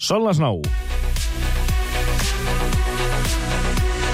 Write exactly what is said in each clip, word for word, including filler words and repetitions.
Són les nou.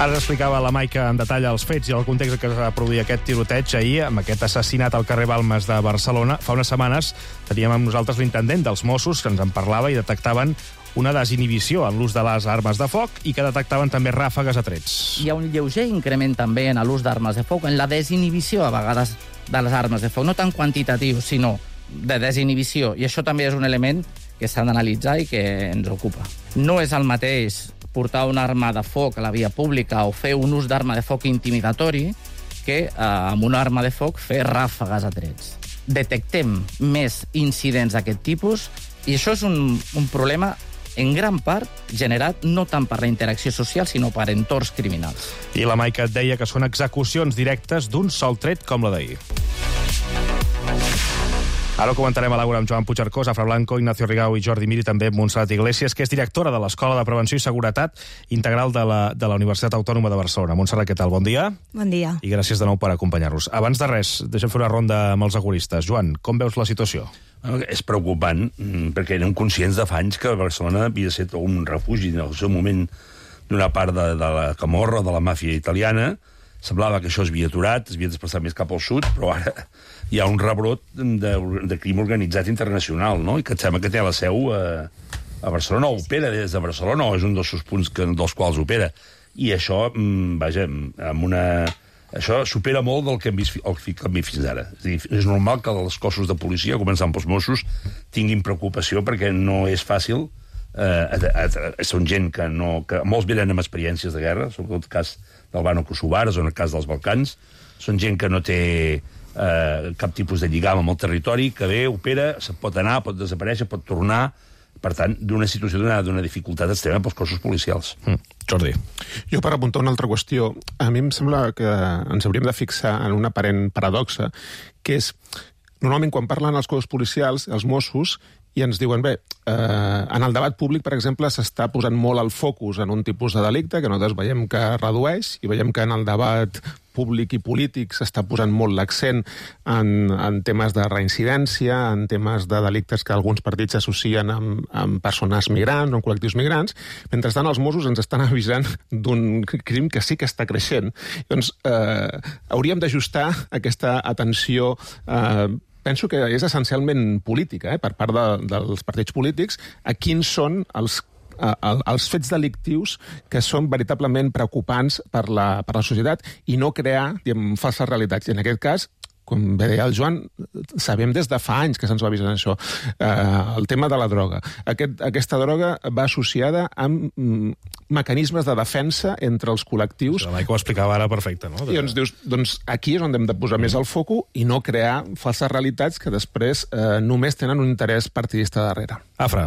Ara explicava la Maica en detall els fets i el context en què es va produir aquest tiroteig ahir, amb aquest assassinat al carrer Balmes de Barcelona. Fa unes setmanes teníem amb nosaltres l'intendent dels Mossos, que ens en parlava i detectaven una desinhibició en l'ús de les armes de foc i que detectaven també ràfegues a trets. Hi ha un lleuger increment també en l'ús d'armes de foc, en la desinhibició a vegades de les armes de foc, no tan quantitatiu, sinó de desinhibició. I això també és un element que s'ha d'analitzar i que ens ocupa. No és el mateix portar una arma de foc a la via pública o fer un ús d'arma de foc intimidatori que eh, amb una arma de foc fer ràfegues a trets. Detectem més incidents d'aquest tipus i això és un, un problema en gran part generat no tant per la interacció social, sinó per entorns criminals. I la Maica et deia que són execucions directes d'un sol tret com la d'ahir. Ara ho comentarem a l'Àgora amb Joan Puigcercós, Afra Blanco, Ignacio Rigau i Jordi Mir, i també Montserrat Iglesias, que és directora de l'Escola de Prevenció i Seguretat Integral de la, de la Universitat Autònoma de Barcelona. Montserrat, què tal? Bon dia. Bon dia. I gràcies de nou per acompanyar-nos. Abans de res, deixem fer una ronda amb els agoristes. Joan, com veus la situació? És preocupant, perquè érem conscients de fa anys que Barcelona havia de ser un refugi en el seu moment d'una part de, de la camorra, de la màfia italiana. Semblava que això es havia aturat, es havia desplaçat més cap al sud, però ara hi ha un rebrot de, de crim organitzat internacional, no? I que et sembla que té la seu a, a Barcelona, o opera des de Barcelona, o és un dels seus punts que, dels quals opera. I això, vaja, amb una... Això supera molt del que hem vist, el que hem vist fins ara. És a dir, és normal que els cossos de policia, començant pels Mossos, tinguin preocupació perquè no és fàcil. Eh, a, a, a, són gent que, no, que molts venen amb experiències de guerra, sobretot el cas d'Albano-Kosovar, o en el cas dels Balcans. Són gent que no té eh, cap tipus de lligam amb el territori, que ve, opera, se pot anar, pot desaparèixer, pot tornar. Per tant, d'una situació d'una dificultat extrema pels cossos policials. Mm. Jordi. Jo, per apuntar una altra qüestió, a mi em sembla que ens hauríem de fixar en una aparent paradoxa, que és, normalment, quan parlen els cossos policials, els Mossos, i ens diuen, bé, eh, en el debat públic, per exemple, s'està posant molt el focus en un tipus de delicte que nosaltres veiem que redueix, i veiem que en el debat públic i polític s'està posant molt l'accent en, en temes de reincidència, en temes de delictes que alguns partits associen amb, amb persones migrants o amb col·lectius migrants. Mentrestant, els Mossos ens estan avisant d'un crim que sí que està creixent. Doncs eh, hauríem d'ajustar aquesta atenció eh, penso que és essencialment política, eh, per part de, dels partits polítics, a quins són els, eh, els fets delictius que són veritablement preocupants per la, per la societat i no crear, diguem, falses realitats. I en aquest cas, com bé deia el Joan, sabem des de fa anys que se'ns va avisar això. Eh, el tema de la droga. Aquest, aquesta droga va associada amb mm, mecanismes de defensa entre els col·lectius. La Maica ho explicava ara perfecte, no? I doncs dius, doncs aquí és on hem de posar més el foco i no crear falses realitats que després eh, només tenen un interès partidista darrere. Afra.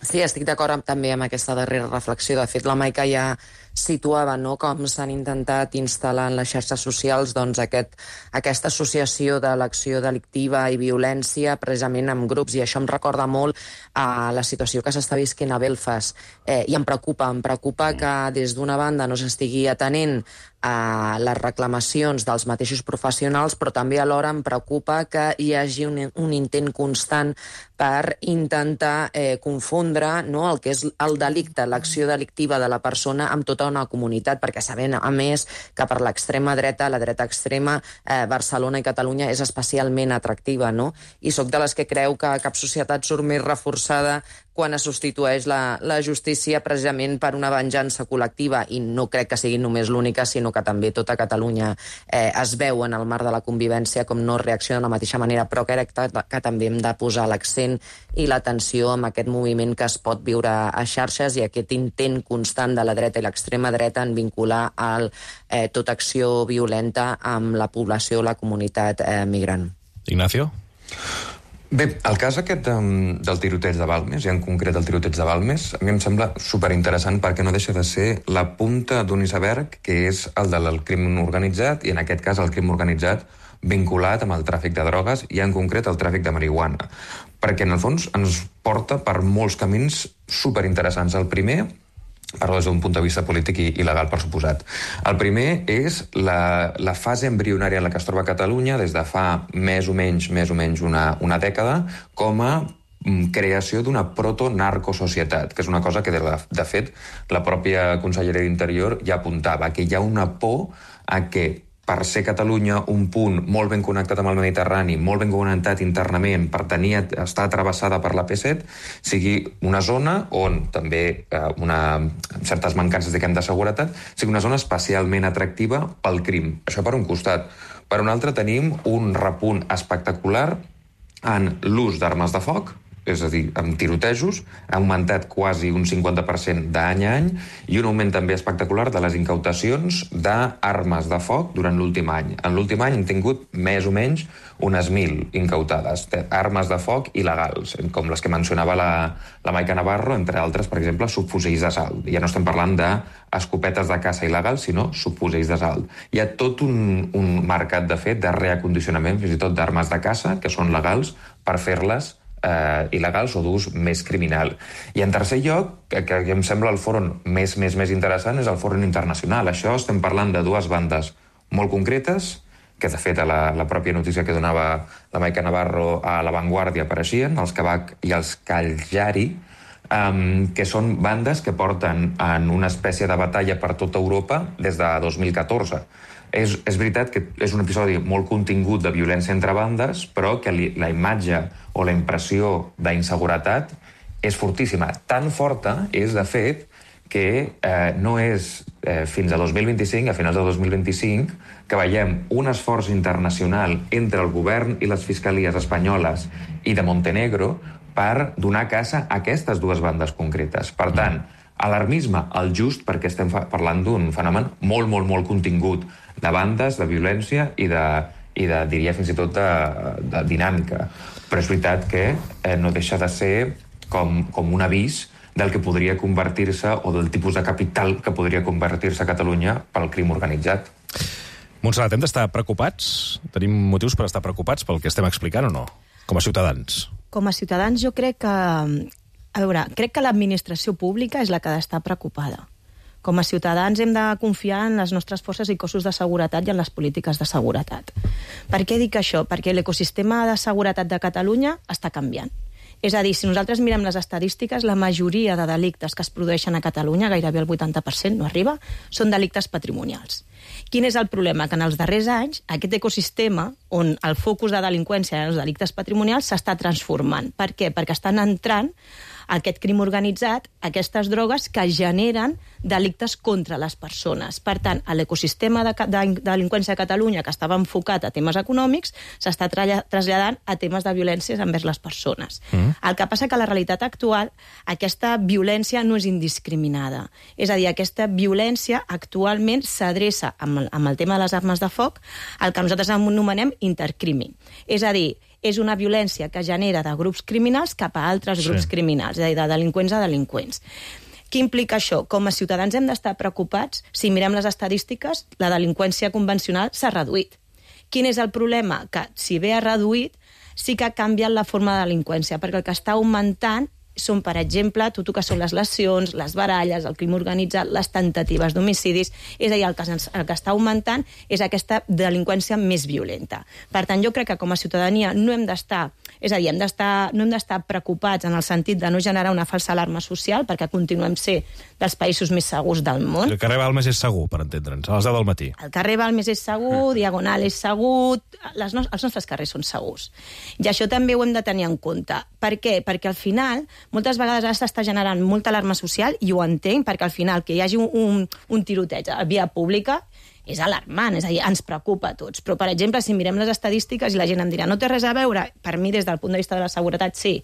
Sí, estic d'acord amb, també amb aquesta darrera reflexió. De fet, la Maica ja situava, no?, com s'han intentat instal·lar en les xarxes socials doncs, aquest, aquesta associació de l'acció delictiva i violència precisament amb grups, i això em recorda molt a la situació que s'està visquent a Belfast. Eh, I em preocupa, em preocupa que des d'una banda no s'estigui atenent a les reclamacions dels mateixos professionals, però també alhora em preocupa que hi hagi un, un intent constant per intentar eh, confondre, no?, el que és el delicte, l'acció delictiva de la persona amb tota una comunitat, perquè sabem, a més, que per l'extrema dreta, la dreta extrema, eh, Barcelona i Catalunya és especialment atractiva, no? I sóc de les que creu que cap societat surt més reforçada quan es substitueix la, la justícia precisament per una venjança col·lectiva, i no crec que sigui només l'única, sinó que també tota Catalunya eh, es veu en el marc de la convivència com no reacciona de la mateixa manera, però crec que, que també hem de posar l'accent i l'atenció en aquest moviment que es pot viure a xarxes i aquest intent constant de la dreta i l'extrema dreta en vincular el, eh, tota acció violenta amb la població o la comunitat eh, migrant. Ignacio? Bé, el cas aquest um, del tiroteig de Balmes, i en concret el tiroteig de Balmes, a mi em sembla superinteressant perquè no deixa de ser la punta d'un iceberg que és el del crim organitzat, i en aquest cas el crim organitzat vinculat amb el tràfic de drogues i en concret el tràfic de marihuana. Perquè en el fons ens porta per molts camins superinteressants. El primer, parlo des d'un punt de vista polític i, i legal, per suposat. El primer és la, la fase embrionària en la que es troba Catalunya des de fa més o menys, més o menys una, una dècada com a creació d'una proto-narcosocietat, que és una cosa que, de, la, de fet, la pròpia Conselleria d'Interior ja apuntava, que hi ha una por a que per ser Catalunya un punt molt ben connectat amb el Mediterrani, molt ben connectat internament, per tenir, estar travessada per la P set, sigui una zona on també eh, una, certes mancances diguem, de seguretat, sigui una zona especialment atractiva pel crim. Això per un costat. Per un altre tenim un repunt espectacular en l'ús d'armes de foc, és a dir, amb tirotejos, ha augmentat quasi un cinquanta per cent d'any a any, i un augment també espectacular de les incautacions d'armes de foc durant l'últim any. En l'últim any hem tingut més o menys unes mil incautades, armes de foc il·legals, com les que mencionava la, la Maica Navarro, entre altres, per exemple, subfusells d'assalt. Ja no estem parlant d'escopetes de caça il·legals, sinó subfusells d'assalt. Hi ha tot un, un mercat, de fet, de reacondicionament, fins i tot d'armes de caça, que són legals, per fer-les Eh, il·legals o d'ús més criminal. I en tercer lloc, que, que em sembla el fòrum més, més, més interessant, és el fòrum internacional. Això estem parlant de dues bandes molt concretes, que de fet a la, la pròpia notícia que donava la Maica Navarro a La Vanguardia apareixien, els Kabak i els Cagliari, um, que són bandes que porten en una espècie de batalla per tota Europa des de dos mil catorze. És, és veritat que és un episodi molt contingut de violència entre bandes, però que li, la imatge o la impressió d'inseguretat és fortíssima. Tan forta és, de fet, que eh, no és eh, fins a dos mil vint-i-cinc, a finals de dos mil vint-i-cinc, que veiem un esforç internacional entre el govern i les fiscalies espanyoles i de Montenegro per donar caça a aquestes dues bandes concretes. Per tant, alarmisme al just, perquè estem parlant d'un fenomen molt, molt, molt contingut de bandes, de violència i de, i de diria fins i tot de, de dinàmica. Però és veritat que eh, no deixa de ser com, com un avís del que podria convertir-se o del tipus de capital que podria convertir-se a Catalunya pel crim organitzat. Montserrat, hem d'estar preocupats? Tenim motius per estar preocupats pel que estem explicant o no? Com a ciutadans. Com a ciutadans jo crec que... A veure, crec que l'administració pública és la que ha d'estar preocupada. Com a ciutadans hem de confiar en les nostres forces i cossos de seguretat i en les polítiques de seguretat. Per què dic això? Perquè l'ecosistema de seguretat de Catalunya està canviant. És a dir, si nosaltres mirem les estadístiques, la majoria de delictes que es produeixen a Catalunya, gairebé el vuitanta per cent, no arriba, són delictes patrimonials. Quin és el problema? Que en els darrers anys aquest ecosistema, on el focus de delinqüència eren els delictes patrimonials, s'està transformant. Per què? Perquè estan entrant aquest crim organitzat, aquestes drogues que generen delictes contra les persones. Per tant, l'ecosistema de, de, de delinqüència a Catalunya, que estava enfocat a temes econòmics, s'està traslladant a temes de violències envers les persones. Mm. El que passa que a la realitat actual aquesta violència no és indiscriminada. És a dir, aquesta violència actualment s'adreça amb, amb el tema de les armes de foc al que nosaltres anomenem intercrimi. És a dir, és una violència que genera de grups criminals cap a altres sí. grups criminals, és a dir, de delinqüents a delinqüents. Què implica això? Com a ciutadans hem d'estar preocupats. Si mirem les estadístiques, la delinqüència convencional s'ha reduït. Quin és el problema? Que si bé ha reduït, sí que ha canviat la forma de delinqüència, perquè el que està augmentant són, per exemple, tot el que són les lesions, les baralles, el crim organitzat, les tentatives d'homicidis. És a dir, el que, el que està augmentant és aquesta delinqüència més violenta. Per tant, jo crec que com a ciutadania no hem d'estar, és a dir, hem d'estar, no hem d'estar preocupats en el sentit de no generar una falsa alarma social, perquè continuem ser dels països més segurs del món. El carrer Balmes és segur, per entendre'ns, a les deu del matí. El carrer Balmes és segur, Diagonal és segur, les no, els nostres carrers són segurs. I això també ho hem de tenir en compte. Per què? Perquè al final moltes vegades ara s'està generant molta alarma social, i ho entenc, perquè al final que hi hagi un, un, un tiroteig a via pública és alarmant, és a dir, ens preocupa a tots. Però, per exemple, si mirem les estadístiques i la gent em dirà no té res a veure, per mi, des del punt de vista de la seguretat, sí.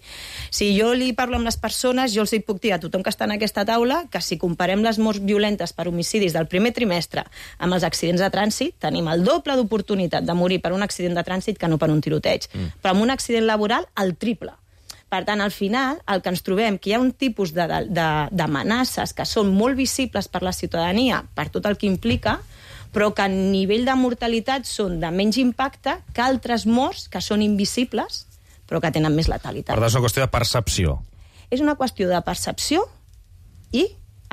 Si jo li parlo amb les persones, jo els hi puc dir a tothom que està en aquesta taula que si comparem les morts violentes per homicidis del primer trimestre amb els accidents de trànsit, tenim el doble d'oportunitat de morir per un accident de trànsit que no per un tiroteig. Mm. Però amb un accident laboral, el triple. Per tant, al final, el que ens trobem, que hi ha un tipus d'amenaces que són molt visibles per la ciutadania, per tot el que implica, però que a nivell de mortalitat són de menys impacte que altres morts que són invisibles, però que tenen més letalitat. Per tant, és una qüestió de percepció. És una qüestió de percepció i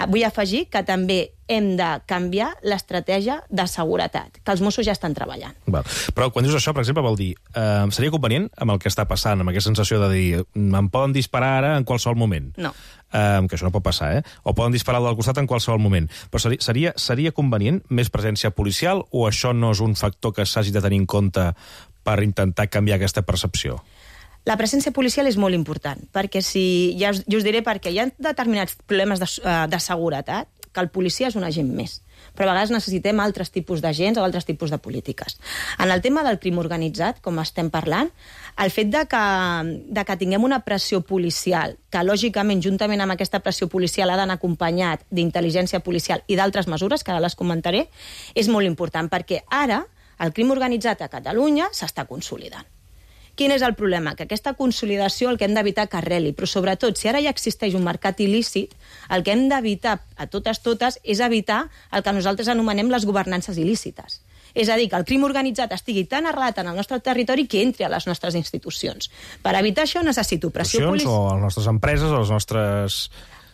Vull afegir que també hem de canviar l'estratègia de seguretat, que els Mossos ja estan treballant. Val. Però quan dius això, per exemple, vol dir, eh, seria convenient amb el que està passant, amb aquesta sensació de dir, em poden disparar ara en qualsevol moment? No. Eh, que això no pot passar, eh? O poden disparar al costat en qualsevol moment. Però seria, seria, seria convenient més presència policial o això no és un factor que s'hagi de tenir en compte per intentar canviar aquesta percepció? La presència policial és molt important, perquè si, ja us, jo us diré perquè hi ha determinats problemes de, de seguretat que el policia és un agent més, però a vegades necessitem altres tipus d'agents o altres tipus de polítiques. En el tema del crim organitzat, com estem parlant, el fet de que, de que tinguem una pressió policial, que lògicament, juntament amb aquesta pressió policial, ha d'anar acompanyat d'intel·ligència policial i d'altres mesures, que ara les comentaré, és molt important, perquè ara el crim organitzat a Catalunya s'està consolidant. Quin és el problema? Que aquesta consolidació el que hem d'evitar que arreli, però sobretot, si ara ja existeix un mercat il·lícit, el que hem d'evitar a totes totes és evitar el que nosaltres anomenem les governances il·lícites. És a dir, que el crim organitzat estigui tan arrelat en el nostre territori que entri a les nostres institucions. Per evitar això necessito pressió policial. O a les nostres empreses, o les nostres...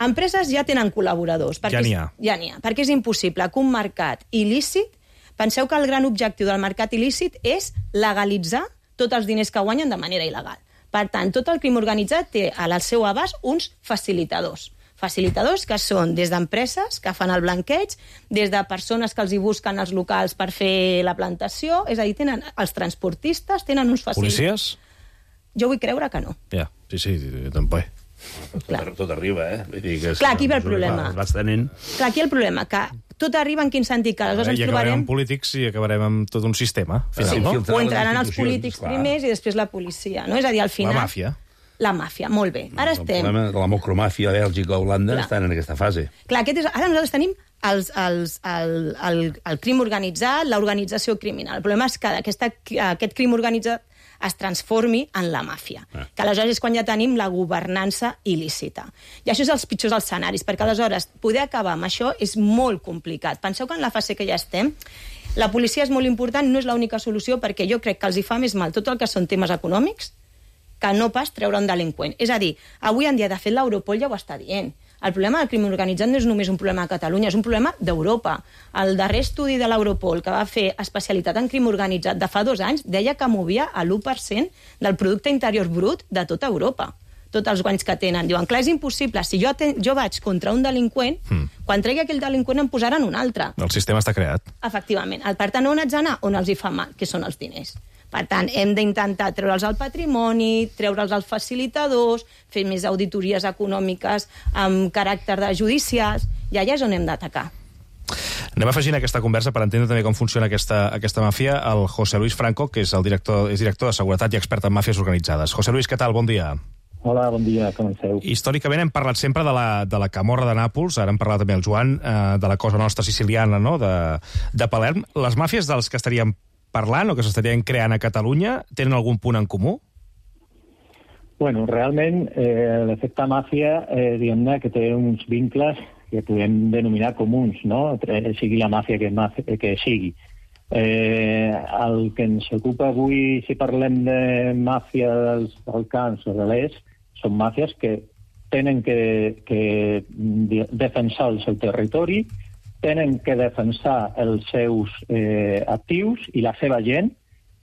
Empreses ja tenen col·laboradors. Ja n'hi ha. Ja n'hi ha, perquè és impossible que un mercat il·lícit... Penseu que el gran objectiu del mercat il·lícit és legalitzar tots els diners que guanyen de manera il·legal. Per tant, tot el crim organitzat té al seu abast uns facilitadors. Facilitadors que són des d'empreses que fan el blanqueig, des de persones que els hi busquen els locals per fer la plantació, és a dir, tenen els transportistes, tenen uns facilitadors. Policies? Jo vull creure que no. Ja, sí, sí, tampoc. Clar. Tot arriba, eh? Vull dir que Clar, aquí ve el problema. Es va estenent. Clar, aquí el problema, que tot arriba en quin sentit, que aleshores ens I acabarem trobarem... amb polítics i acabarem amb tot un sistema, final, Sí, no? o entraran els polítics primers i després la policia, no? És a dir, al final... La màfia. La màfia, molt bé. Ara El estem... problema de la mocromàfia a Bèlgica, Holanda, Clar. estan en aquesta fase. Clar, aquest és... ara nosaltres tenim els, els, el, el, el crim organitzat, l'organització criminal. El problema és que aquesta, aquest crim organitzat es transformi en la màfia, ah. que aleshores és quan ja tenim la governança il·lícita. I això és els pitjors escenaris, perquè aleshores poder acabar amb això és molt complicat. Penseu que en la fase que ja estem, la policia és molt important, no és l'única solució, perquè jo crec que els hi fa més mal tot el que són temes econòmics que no pas treure un delinqüent. És a dir, avui en dia, de fet, l'Europol ja ho està dient. El problema del crim organitzat no és només un problema de Catalunya, és un problema d'Europa. El darrer estudi de l'Europol, que va fer especialitat en crim organitzat de fa dos anys, deia que movia a l'u per cent del producte interior brut de tota Europa. Tots els guanys que tenen. Diuen, clar, és impossible. Si jo, ten... jo vaig contra un delinqüent, mm. quan tregui aquell delinqüent em posaran un altre. El sistema està creat. Efectivament. Per tant, on haig d'anar? On els hi fa mal, que són els diners. Per tant, hem d'intentar treure'ls el patrimoni, treure'ls els facilitadors, fer més auditories econòmiques amb caràcter de judicials, i allà és on hem d'atacar. Anem afegint aquesta conversa per entendre també com funciona aquesta, aquesta màfia el José Luis Franco, que és el director, és director de Seguretat i expert en màfies organitzades. José Luis, què tal? Bon dia. Hola, bon dia, com esteu? Històricament hem parlat sempre de la, de la camorra de Nàpols, ara hem parlat també el Joan, eh, de la cosa nostra siciliana, no?, de, de Palerm. Les màfies dels que estaríem parlant o que s'estarien creant a Catalunya tenen algun punt en comú? Bueno, realment eh, l'efecte màfia, eh, diguem-ne, que té uns vincles que podem denominar comuns, no?, sigui la màfia que, màfia, que sigui. Eh, el que ens ocupa avui, si parlem de màfia dels Balcans o de l'Est, són màfies que tenen que, que defensar el seu territori, tenen que defensar els seus eh, actius i la seva gent,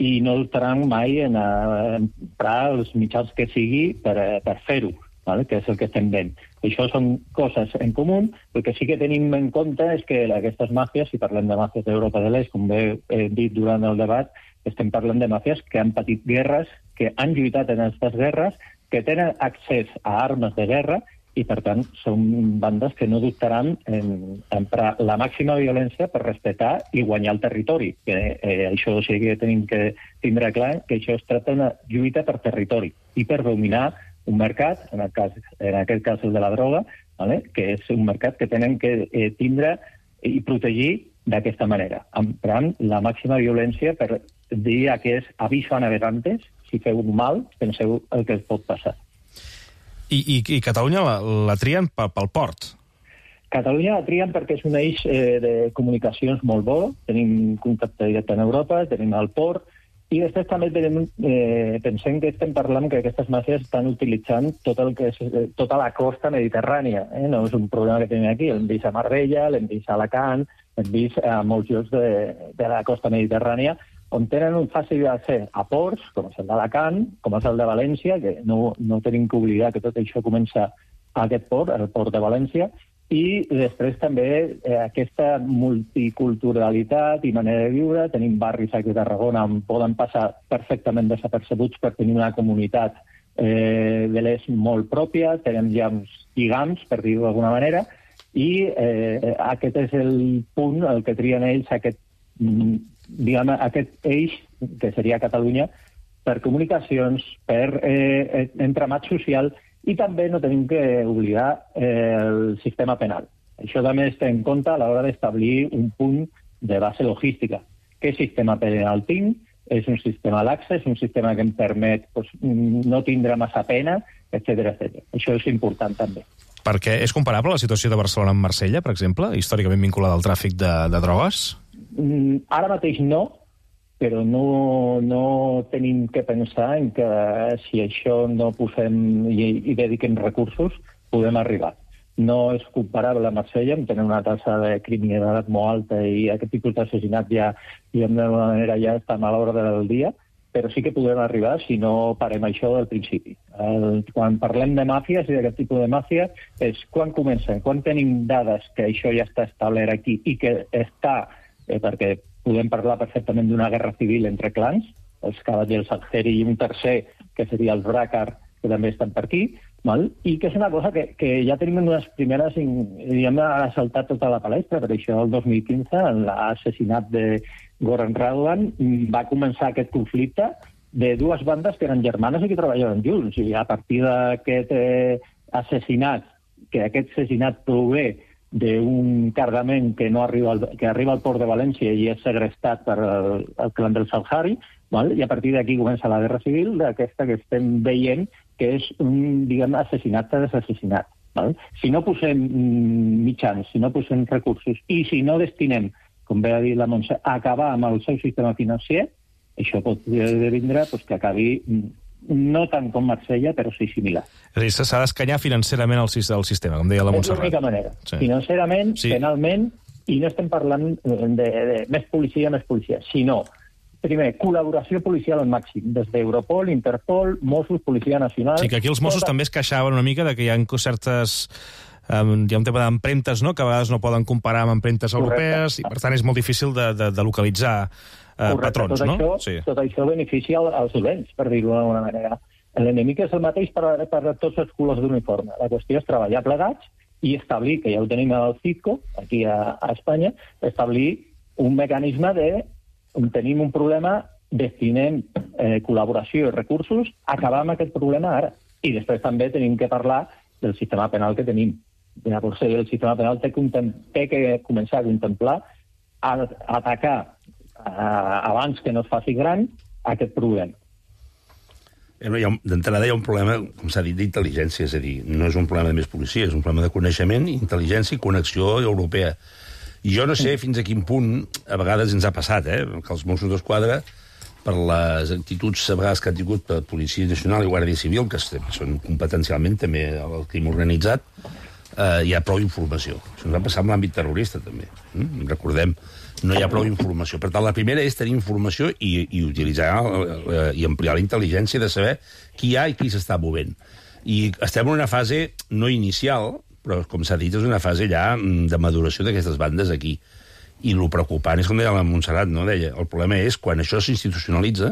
i no dubtaran mai en emprar els mitjans que sigui per, per fer-ho, ¿vale? Que és el que estem veient. Això són coses en comú. El que sí que tenim en compte és que aquestes màfies, si parlem de màfies d'Europa de l'Est, com bé he dit durant el debat, estem parlant de màfies que han patit guerres, que han lluitat en aquestes guerres, que tenen accés a armes de guerra, i, per tant, són bandes que no dubtaran en emprar la màxima violència per respectar i guanyar el territori. Que, eh, això sí que tenim que tindre clar, que això es tracta d'una lluita per territori i per dominar un mercat, en, el cas, en aquest cas el de la droga, ¿vale? Que és un mercat que tenen que eh, tindre i protegir d'aquesta manera, emprant la màxima violència per dir a aquests aviso a navegantes, si feu un mal, penseu el que es pot passar. I, i, i Catalunya la, la trien pel, pel port? Catalunya la trien perquè és un eix eh, de comunicacions molt bo, tenim contacte directe en Europa, tenim el port, I després també tenim, eh, pensem que estem parlant que aquestes màfies estan utilitzant tot el que és, eh, tota la costa mediterrània. Eh? No és un problema que tenim aquí. L'hem vist a Marbella, l'hem vist a Alacant, l'hem vist a molts llocs de, de la costa mediterrània, on tenen un fàcil d'accés a ports, com és el d'Alacant, com és el de València, que no, no tenim que oblidar que tot això comença a aquest port, el port de València, i després també eh, aquesta multiculturalitat i manera de viure. Tenim barris aquí a Tarragona on poden passar perfectament desapercebuts per tenir una comunitat eh, de l'est molt pròpia, tenim ja uns lligams, per dir-ho d'alguna manera, i eh, aquest és el punt el que trien ells, aquest, diguem, aquest eix, que seria Catalunya, per comunicacions, per eh, entramat social. I també no tenim que oblidar eh, el sistema penal. Això també es té en compte a l'hora d'establir un punt de base logística. Què sistema penal tinc? És un sistema laxe, és un sistema que em permet pues, no tindre massa pena, etcètera, etcètera. Això és important també. Perquè és comparable la situació de Barcelona amb Marsella, per exemple, històricament vinculada al tràfic de, de drogues? Mm, ara mateix no, però no, no tenim que pensar en que si això no posem i, i dediquem recursos, podem arribar. No és comparable a Marsella, en tenir una tassa de criminalitat molt alta i aquest tipus d'assassinat ja, d'una manera, ja està a l'ordre del dia, però sí que podem arribar si no parem això del principi. El, quan parlem de màfies i d'aquest tipus de màfia, és quan comencen, quan tenim dades que això ja està establert aquí i que està, eh, perquè podem parlar perfectament d'una guerra civil entre clans, els Cavallers Algeri i un tercer, que seria els Brácar, que també estan per aquí, val? I que és una cosa que, que ja tenim unes primeres, diguem, ha saltat tota la palestra, per això el dos mil quinze, en l'assassinat de Goran Radovan, va començar aquest conflicte de dues bandes que eren germanes i que treballaven junts, i a partir d'aquest eh, assassinat, que aquest assassinat prové d'un cargament que no arriba al, que arriba al port de València i és segrestat per el, el clan del Salhari, val? I a partir d'aquí comença la guerra civil, d'aquesta que estem veient, que és un, diguem, assassinat d'assassinat. Val? Si no posem mitjans, si no posem recursos i si no destinem, com bé ha dit la Montse, a acabar amb el seu sistema financer, això pot vindre pues, que acabi no tant com Marsella, però sí similar. És a dir, s'ha d'escanyar financerament el, el sistema, com deia la Montserrat. És l'única manera. Sí. Financerament, sí. Penalment, i no estem parlant de, de, de més policia, més policia, sinó, primer, col·laboració policial al màxim, des d'Europol, Interpol, Mossos, Policia Nacional... Sí, que aquí els Mossos tota... també es queixaven una mica de que hi ha certes... Um, hi ha un tema d'empremtes, no?, que a vegades no poden comparar amb empremtes europees, i per tant és molt difícil de, de, de localitzar uh, patrons, tot no? Això, sí. Tot això beneficia als dolents, per dir-ho d'alguna manera. L'enemic és el mateix per, per tots els colors d'uniforme. La qüestió és treballar plegats i establir, que ja ho tenim al CITCO, aquí a, a Espanya, establir un mecanisme de, on tenim un problema, destinem eh, col·laboració i recursos, acabar amb aquest problema ara. I després també tenim que parlar del sistema penal que tenim. Llavors, el sistema penal té, té que començar a contemplar a, a atacar a, abans que no es faci gran aquest problema. D'entrada hi ha un problema, com s'ha dit, d'intel·ligència, és a dir, no és un problema de més policia, és un problema de coneixement, intel·ligència i connexió europea. I jo no sé fins a quin punt, a vegades ens ha passat, eh, que els Mossos d'Esquadra, per les actituds a vegades que han tingut per Policia Nacional i Guàrdia Civil, que són competencialment també el crim organitzat, eh, hi ha prou informació. Això ens va passar amb l'àmbit terrorista, també. Mm? Recordem, no hi ha prou informació. Per tant, la primera és tenir informació i, i utilitzar eh, i ampliar la intel·ligència de saber qui hi ha i qui s'està movent. I estem en una fase no inicial, però, com s'ha dit, és una fase ja de maduració d'aquestes bandes aquí. I el preocupant és, com deia la Montserrat, no? Deia, el problema és quan això s'institucionalitza,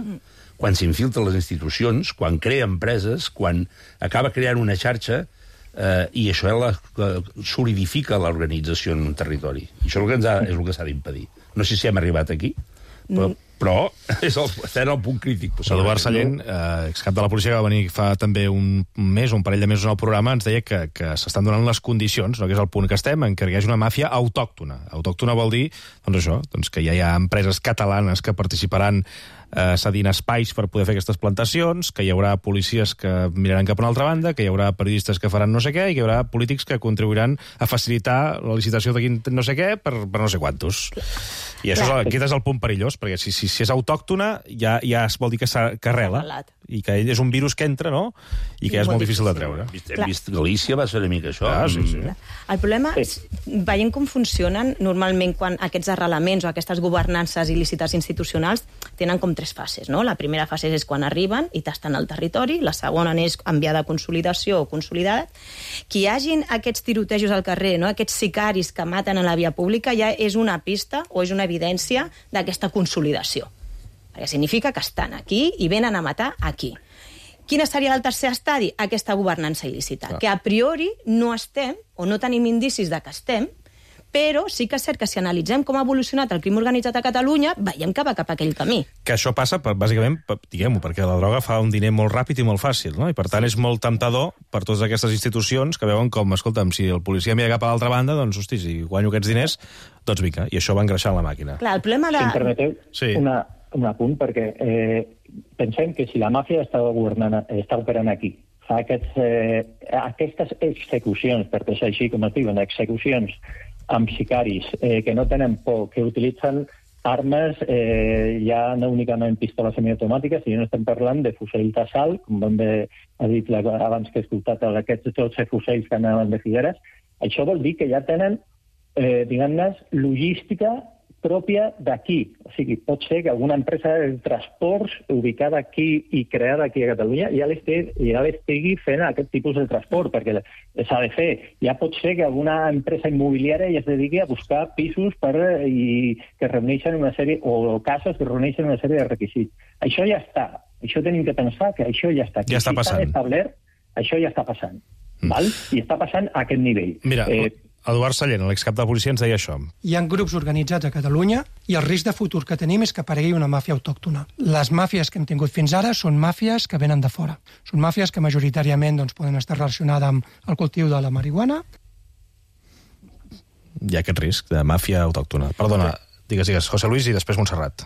quan s'infiltren les institucions, quan crea empreses, quan acaba creant una xarxa, eh, i això la, la, solidifica l'organització en un territori. I això és el que, ens ha, és el que s'ha d'impedir. No sé si hem arribat aquí, però, però és el, estem al punt crític. Eduard Sallent, eh, excap de la policia, que va venir fa també un mes, un parell de mesos en el programa, ens deia que, que s'estan donant les condicions, no, que és el punt que estem, en què hi hagi una màfia autòctona. Autòctona vol dir, doncs això, doncs que ja hi ha empreses catalanes que participaran eh, cedint espais per poder fer aquestes plantacions, que hi haurà policies que miraran cap a una altra banda, que hi haurà periodistes que faran no sé què, i que hi haurà polítics que contribuiran a facilitar la licitació de no sé què per, per no sé quantos. I això és, el- aquest és el punt perillós, perquè si, si, si és autòctona ja, ja es vol dir que, s'ha- que arrela, Arrelat. i que ell és un virus que entra, no?, i que ja és molt difícil de treure. Hem vist, hem vist Galícia, va ser una mica això. Ah, sí, sí. Mm. El problema és, veient com funcionen, normalment quan aquests arrelaments o aquestes governances il·lícites institucionals tenen com tres fases, no? La primera fase és quan arriben i tasten el territori, la segona és enviada a consolidació o consolidat. Que hi hagin aquests tirotejos al carrer, no? Aquests sicaris que maten a la via pública, ja és una pista o és una evidència d'aquesta consolidació. Perquè significa que estan aquí i venen a matar aquí. Quin seria el tercer estadi? Aquesta governança il·lícita, Clar. que a priori no estem, o no tenim indicis de que estem, però sí que és cert que si analitzem com ha evolucionat el crim organitzat a Catalunya, veiem que va cap a aquell camí. Que això passa, per, bàsicament, per, diguem-ho, perquè la droga fa un diner molt ràpid i molt fàcil, no? I per tant és molt temptador per totes aquestes institucions que veuen com, escolta'm, si el policia mira cap a l'altra banda, doncs, hosti, si guanyo aquests diners, doncs vinga, i això va engreixant la màquina. Clar, el problema de... Si em permeteu, Sí. una, un apunt, perquè eh, pensem que si la màfia està governant, està operant aquí, fa aquests, eh, aquestes execucions, perquè és així com es diuen, execucions amb sicaris eh, que no tenen por, que utilitzen armes eh, ja no únicament pistoles semiautomàtiques, sinó estem parlant de fusells d'assalt, com vam bé ha dit la, abans que he escoltat aquests dotze fusells que anaven de Figueres. Això vol dir que ja tenen, eh, diguem-ne, logística pròpia d'aquí. O sigui, pot ser que alguna empresa de transports ubicada aquí i creada aquí a Catalunya ja l'estigui ja l'estigui fent aquest tipus de transport, perquè s'ha de fer. Ja pot ser que alguna empresa immobiliària ja es dediqui a buscar pisos per, i que reuneixen una sèrie, o cases que reuneixen una sèrie de requisits. Això ja està. Això tenim que pensar que això ja està aquí. Ja està Si passant. establert, això ja està passant. Mm. Val? I està passant a aquest nivell. Mira, Eh, Eduard Sallent, l'excap de policia, ens deia això. Hi ha grups organitzats a Catalunya i el risc de futur que tenim és que aparegui una màfia autòctona. Les màfies que hem tingut fins ara són màfies que venen de fora. Són màfies que majoritàriament doncs, poden estar relacionades amb el cultiu de la marihuana. Hi ha aquest risc de màfia autòctona. Perdona, digues, digues, José Luis i després Montserrat.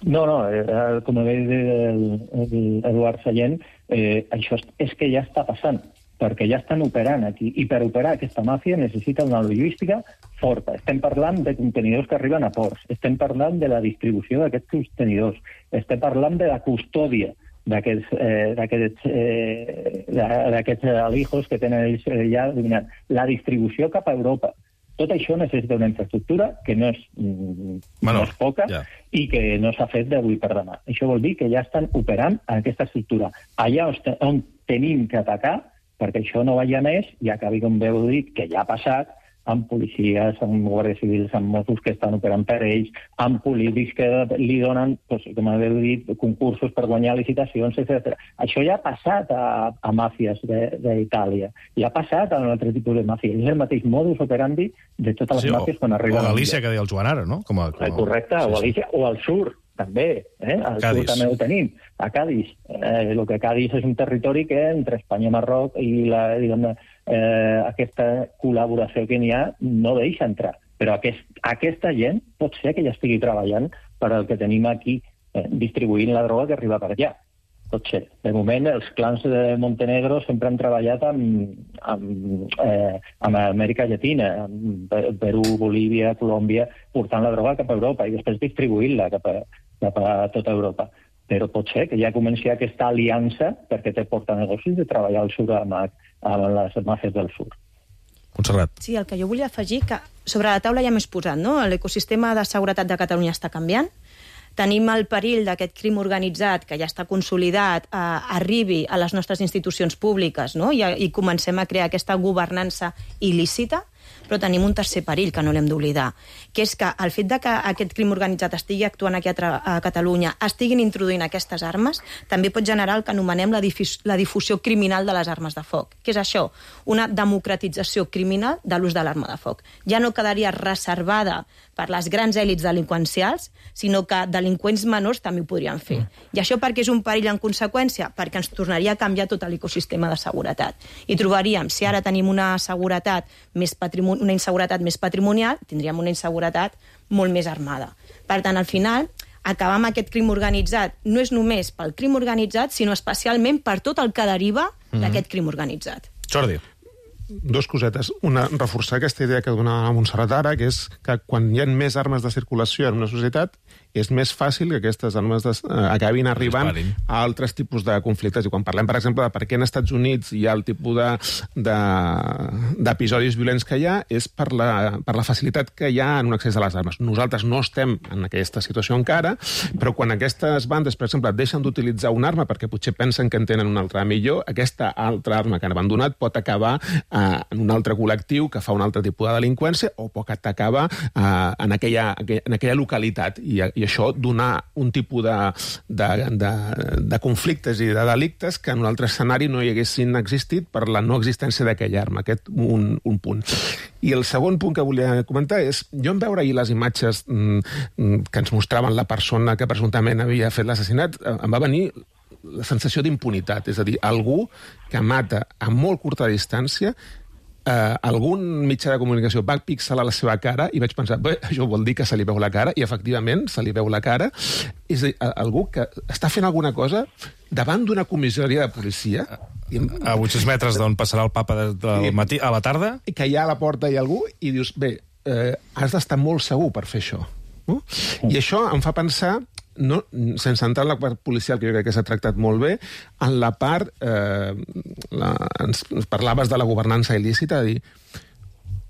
No, no, eh, com ha dit el, el Eduard Sallent, eh, això és, és que ja està passant, perquè ja estan operant aquí, i per operar aquesta màfia necessita una logística forta. Estem parlant de contenidors que arriben a ports, estem parlant de la distribució d'aquests contenidors, estem parlant de la custòdia d'aquests eh, d'aquests eh, d'aquests alijos que tenen ells ja dominant, la distribució cap a Europa. Tot això necessita una infraestructura que no és, mm, Bueno, no és poca ja. i que no s'ha fet d'avui per demà. Això vol dir que ja estan operant en aquesta estructura. Allà on, on tenim que atacar, perquè això no vagi a més, i acabi, com veu dir, que ja ha passat, amb policies, amb guàrdies civils, amb Mossos que estan operant per ells, amb polítics que li donen, doncs, com heu dit, concursos per guanyar licitacions, etcètera. Això ja ha passat a, a màfies d'Itàlia, ja ha passat a un altre tipus de màfia. És el mateix modus operandi de totes les Sí, o, màfies quan o arriben. a Galícia, que deia el Joan ara, no? Com a, com a... Correcte, Sí, o a sí. Galícia, o al sur, també. Eh? Al Cadis. sur també ho tenim, a Cadis. Eh, el que Cadis és un territori que entre Espanya i Marroc i la, diguem, eh, aquesta col·laboració que n'hi ha no deixa entrar. Però aquest, aquesta gent pot ser que ja estigui treballant per al que tenim aquí, eh, distribuint la droga que arriba per allà. Pot ser. De moment, els clans de Montenegro sempre han treballat amb, amb, eh, amb Amèrica Llatina, amb Perú, Bolívia, Colòmbia, portant la droga cap a Europa i després distribuint-la cap a, cap a tota Europa. Però pot ser que ja comenci aquesta aliança perquè te porta negocis de treballar al sur amb, amb les màfies del sur. Montserrat. Sí, el que jo volia afegir, que sobre la taula ja m'he posat, no? L'ecosistema de seguretat de Catalunya està canviant. Tenim el perill d'aquest crim organitzat que ja està consolidat, eh, arribi a les nostres institucions públiques, no? I, i comencem a crear aquesta governança il·lícita, però tenim un tercer perill que no l'hem d'oblidar, que és que el fet de que aquest crim organitzat estigui actuant aquí a, a Catalunya, estiguin introduint aquestes armes, també pot generar el que anomenem la, difus la difusió criminal de les armes de foc. Què és això? Una democratització criminal de l'ús de l'arma de foc. Ja no quedaria reservada per les grans èlits delinqüencials, sinó que delinqüents menors també ho podrien fer. Mm. I això perquè és un perill en conseqüència? Perquè ens tornaria a canviar tot l'ecosistema de seguretat. I trobaríem, si ara tenim una seguretat més patrimonial, una inseguretat més patrimonial, tindríem una inseguretat molt més armada. Per tant, al final, acabar amb aquest crim organitzat no és només pel crim organitzat, sinó especialment per tot el que deriva mm-hmm. d'aquest crim organitzat. Jordi. dos cosetes. Una, reforçar aquesta idea que donava Montserrat ara, que és que quan hi ha més armes de circulació en una societat, és més fàcil que aquestes armes des, eh, acabin arribant a altres tipus de conflictes. I quan parlem, per exemple, de per què en Estats Units hi ha el tipus d'episodis de, de, violents que hi ha, és per la, per la facilitat que hi ha en un accés a les armes. Nosaltres no estem en aquesta situació encara, però quan aquestes bandes, per exemple, deixen d'utilitzar una arma perquè potser pensen que en tenen una altra millor, aquesta altra arma que han abandonat pot acabar eh, en un altre col·lectiu que fa un altre tipus de delinqüència o pot acabar eh, en, aquella, en aquella localitat. I, i això donar un tipus de, de, de, de conflictes i de delictes que en un altre escenari no hi haguessin existit per la no existència d'aquella arma. Aquest un, un punt. I el segon punt que volia comentar és, jo en veure ahir les imatges mm, que ens mostraven la persona que presumptament havia fet l'assassinat, em va venir la sensació d'impunitat, és a dir, algú que mata a molt curta distància, eh, algun mitjà de comunicació va pixelar la seva cara i vaig pensar, bé, això vol dir que se li veu la cara, i efectivament se li veu la cara. És a dir, algú que està fent alguna cosa davant d'una comissaria de policia... A vuit-cents metres d'on passarà el papa del matí a la tarda? Que hi ha a la porta hi ha algú i dius, bé, eh, has d'estar molt segur per fer això. No? I això em fa pensar, no, sense entrar en la part policial, que jo crec que s'ha tractat molt bé, en la part... Eh, la, ens, ens parlaves de la governança il·lícita, de dir,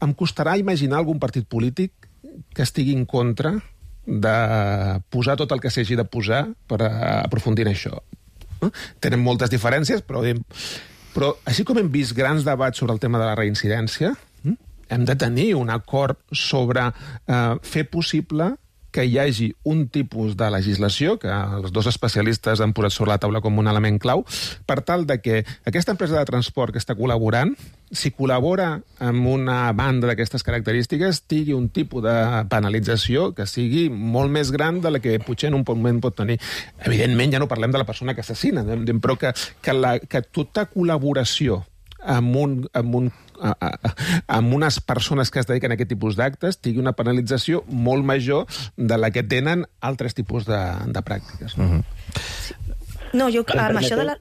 em costarà imaginar algun partit polític que estigui en contra de posar tot el que s'hagi de posar per aprofundir en això. No? Tenen moltes diferències, però, però així com hem vist grans debats sobre el tema de la reincidència, hem de tenir un acord sobre eh, fer possible que hi hagi un tipus de legislació, que els dos especialistes han posat sobre la taula com un element clau, per tal de que aquesta empresa de transport que està col·laborant, si col·labora amb una banda d'aquestes característiques, tingui un tipus de penalització que sigui molt més gran de la que potser en un moment pot tenir. Evidentment, ja no parlem de la persona que assassina, però que, que, la, que tota col·laboració amb, un, amb, un, a, a, amb unes persones que es dediquen a aquest tipus d'actes tingui una penalització molt major de la que tenen altres tipus de, de pràctiques. No, uh-huh. no jo, amb això de la...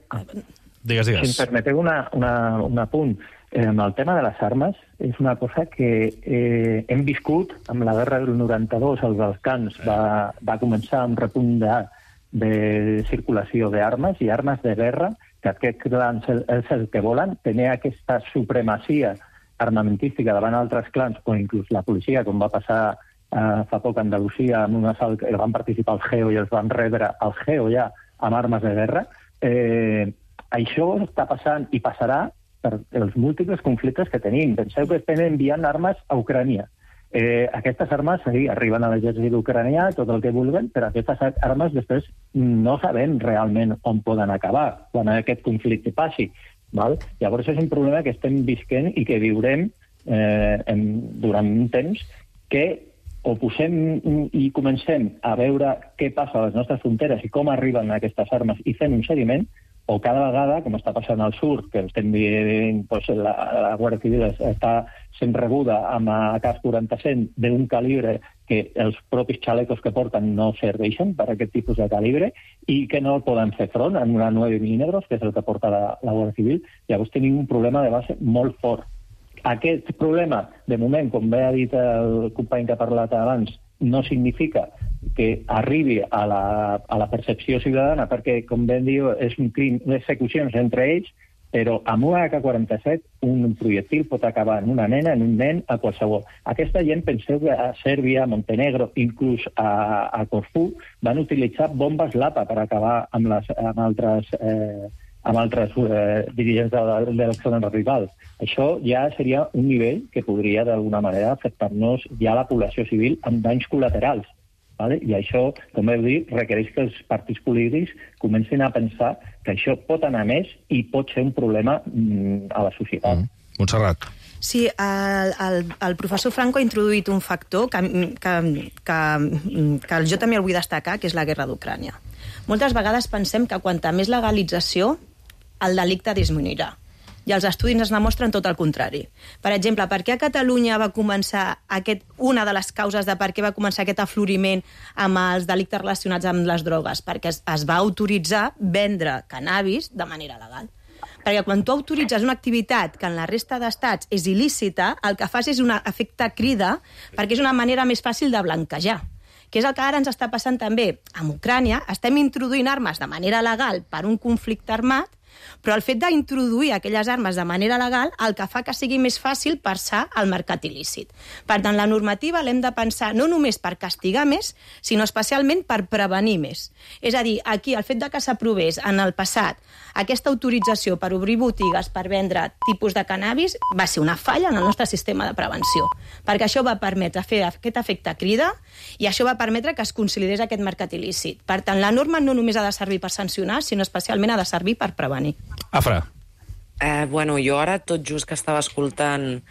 Digues, digues. Si em permeteu una, una, un apunt, eh, amb el tema de les armes, és una cosa que eh, hem viscut amb la guerra del noranta-dos als Balcans. Va, va començar un repunt de, de circulació d'armes i armes de guerra, que aquests clans és el que volen, tenir aquesta supremacia armamentística davant altres clans, o inclús la policia, com va passar eh, fa poc a Andalusia, amb un assalt que van participar al G E O i els van rebre al G E O ja amb armes de guerra. Eh, això està passant i passarà per els múltiples conflictes que tenim. Penseu que estem enviant armes a Ucrània. Eh, aquestes armes sí, arriben a l'exèrcit ucranià, tot el que vulguen, però aquestes armes després no sabem realment on poden acabar quan aquest conflicte passi. Val? Llavors és un problema que estem visquent i que viurem eh, en, durant un temps que o posem i comencem a veure què passa a les nostres fronteres i com arriben aquestes armes i fem un seguiment, o cada vegada, com està passant al sud, que estem dient, doncs, la, la Guàrdia Civil està sent rebuda amb A K quaranta-set d'un calibre que els propis xalecos que porten no serveixen per a aquest tipus de calibre i que no poden fer front en una nueve milímetros, que és el que porta la, la Guàrdia Civil. Llavors tenim un problema de base molt fort. Aquest problema, de moment, com bé ha dit el company que ha parlat abans, no significa que arribi a la, a la percepció ciutadana, perquè, com ben diu, és un crim d'execucions entre ells, però amb una A K quaranta-set un projectil pot acabar en una nena, en un nen, a qualsevol. Aquesta gent, penseu que a Sèrbia, a Montenegro, inclús a, a Corfú, van utilitzar bombes Lapa per acabar amb, les, amb altres, eh, amb altres eh, dirigents de, de les zones rivals. Això ja seria un nivell que podria, d'alguna manera, afectar-nos ja a la població civil amb danys col·laterals. Vale? I això, com heu dit, requereix que els partits polítics comencin a pensar que això pot anar més i pot ser un problema mm, a la societat. Mm. Montserrat. Sí, el, el, el professor Franco ha introduït un factor que, que, que, que jo també el vull destacar, que és la guerra d'Ucrània. Moltes vegades pensem que quanta més legalització, el delicte disminuirà. I els estudis ens demostren tot el contrari. Per exemple, per què a Catalunya va començar aquest, una de les causes de per què va començar aquest afloriment amb els delictes relacionats amb les drogues? Perquè es, es va autoritzar vendre cannabis de manera legal. Perquè quan tu autoritzes una activitat que en la resta d'estats és il·lícita, el que fas és un efecte crida, perquè és una manera més fàcil de blanquejar, que és el que ara ens està passant també amb Ucrània. Estem introduint armes de manera legal per un conflicte armat, però el fet d'introduir aquelles armes de manera legal el que fa que sigui més fàcil passar al mercat il·lícit. Per tant, la normativa l'hem de pensar no només per castigar més, sinó especialment per prevenir més. És a dir, aquí el fet de que s'aprovés en el passat aquesta autorització per obrir botigues per vendre tipus de cannabis va ser una falla en el nostre sistema de prevenció, perquè això va permetre fer aquest efecte crida i això va permetre que es consolidés aquest mercat il·lícit. Per tant, la norma no només ha de servir per sancionar, sinó especialment ha de servir per prevenir. Afra. Eh, bueno, jo ara, tot just que estava escoltant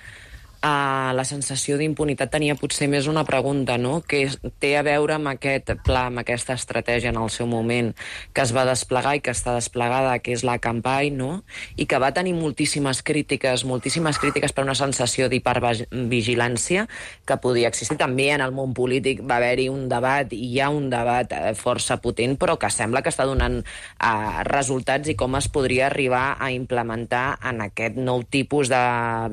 Uh, la sensació d'impunitat tenia potser més una pregunta, no?, que té a veure amb aquest pla, amb aquesta estratègia en el seu moment que es va desplegar i que està desplegada, que és la Campai, no?, i que va tenir moltíssimes crítiques, moltíssimes crítiques per una sensació d'hipervigilància que podia existir. També en el món polític va haver-hi un debat, i hi ha un debat força potent, però que sembla que està donant uh, resultats i com es podria arribar a implementar en aquest nou tipus de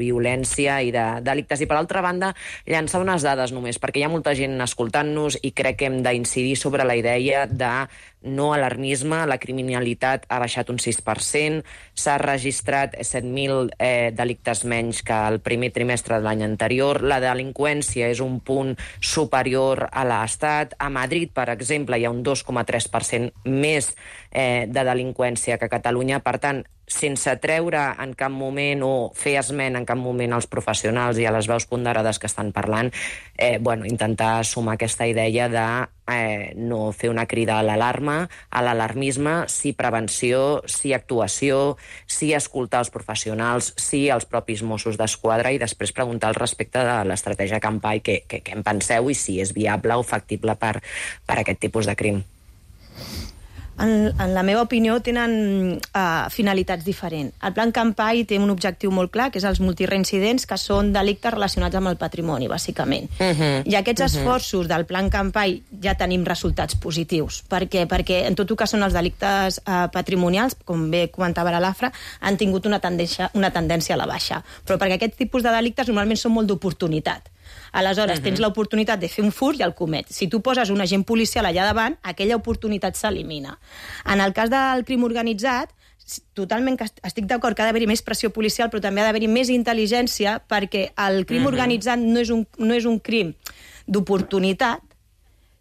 violència i de delictes. I per altra banda, llançar unes dades només, perquè hi ha molta gent escoltant-nos i crec que hem d'incidir sobre la idea de no alarmisme. La criminalitat ha baixat un sis per cent, s'ha registrat set mil eh, delictes menys que el primer trimestre de l'any anterior, la delinqüència és un punt superior a l'Estat. A Madrid, per exemple, hi ha un dos coma tres per cent més eh, de delinqüència que a Catalunya. Per tant, sense treure en cap moment o fer esment en cap moment als professionals i a les veus ponderades que estan parlant, eh, bueno, intentar sumar aquesta idea de eh, no fer una crida a l'alarma, a l'alarmisme, sí prevenció, sí actuació, sí escoltar els professionals, sí els propis Mossos d'Esquadra, i després preguntar al respecte de l'estratègia Campai què, què, què en penseu i si és viable o factible per, per aquest tipus de crim. En, en la meva opinió, tenen uh, finalitats diferents. El Plan Campai té un objectiu molt clar, que és els multireincidents, que són delictes relacionats amb el patrimoni, bàsicament. Uh-huh. I aquests uh-huh. esforços del Plan Campai ja tenim resultats positius. Per què? Perquè en tot el que són els delictes uh, patrimonials, com bé comentava l'Afra, han tingut una tendència, una tendència a la baixa. Però perquè aquests tipus de delictes normalment són molt d'oportunitat. Aleshores, uh-huh. tens l'oportunitat de fer un furt i el comets. Si tu poses un agent policial allà davant, aquella oportunitat s'elimina. En el cas del crim organitzat, totalment que estic d'acord que ha d'haver-hi més pressió policial, però també ha d'haver-hi més intel·ligència, perquè el crim uh-huh. organitzat no és un, no és un crim d'oportunitat,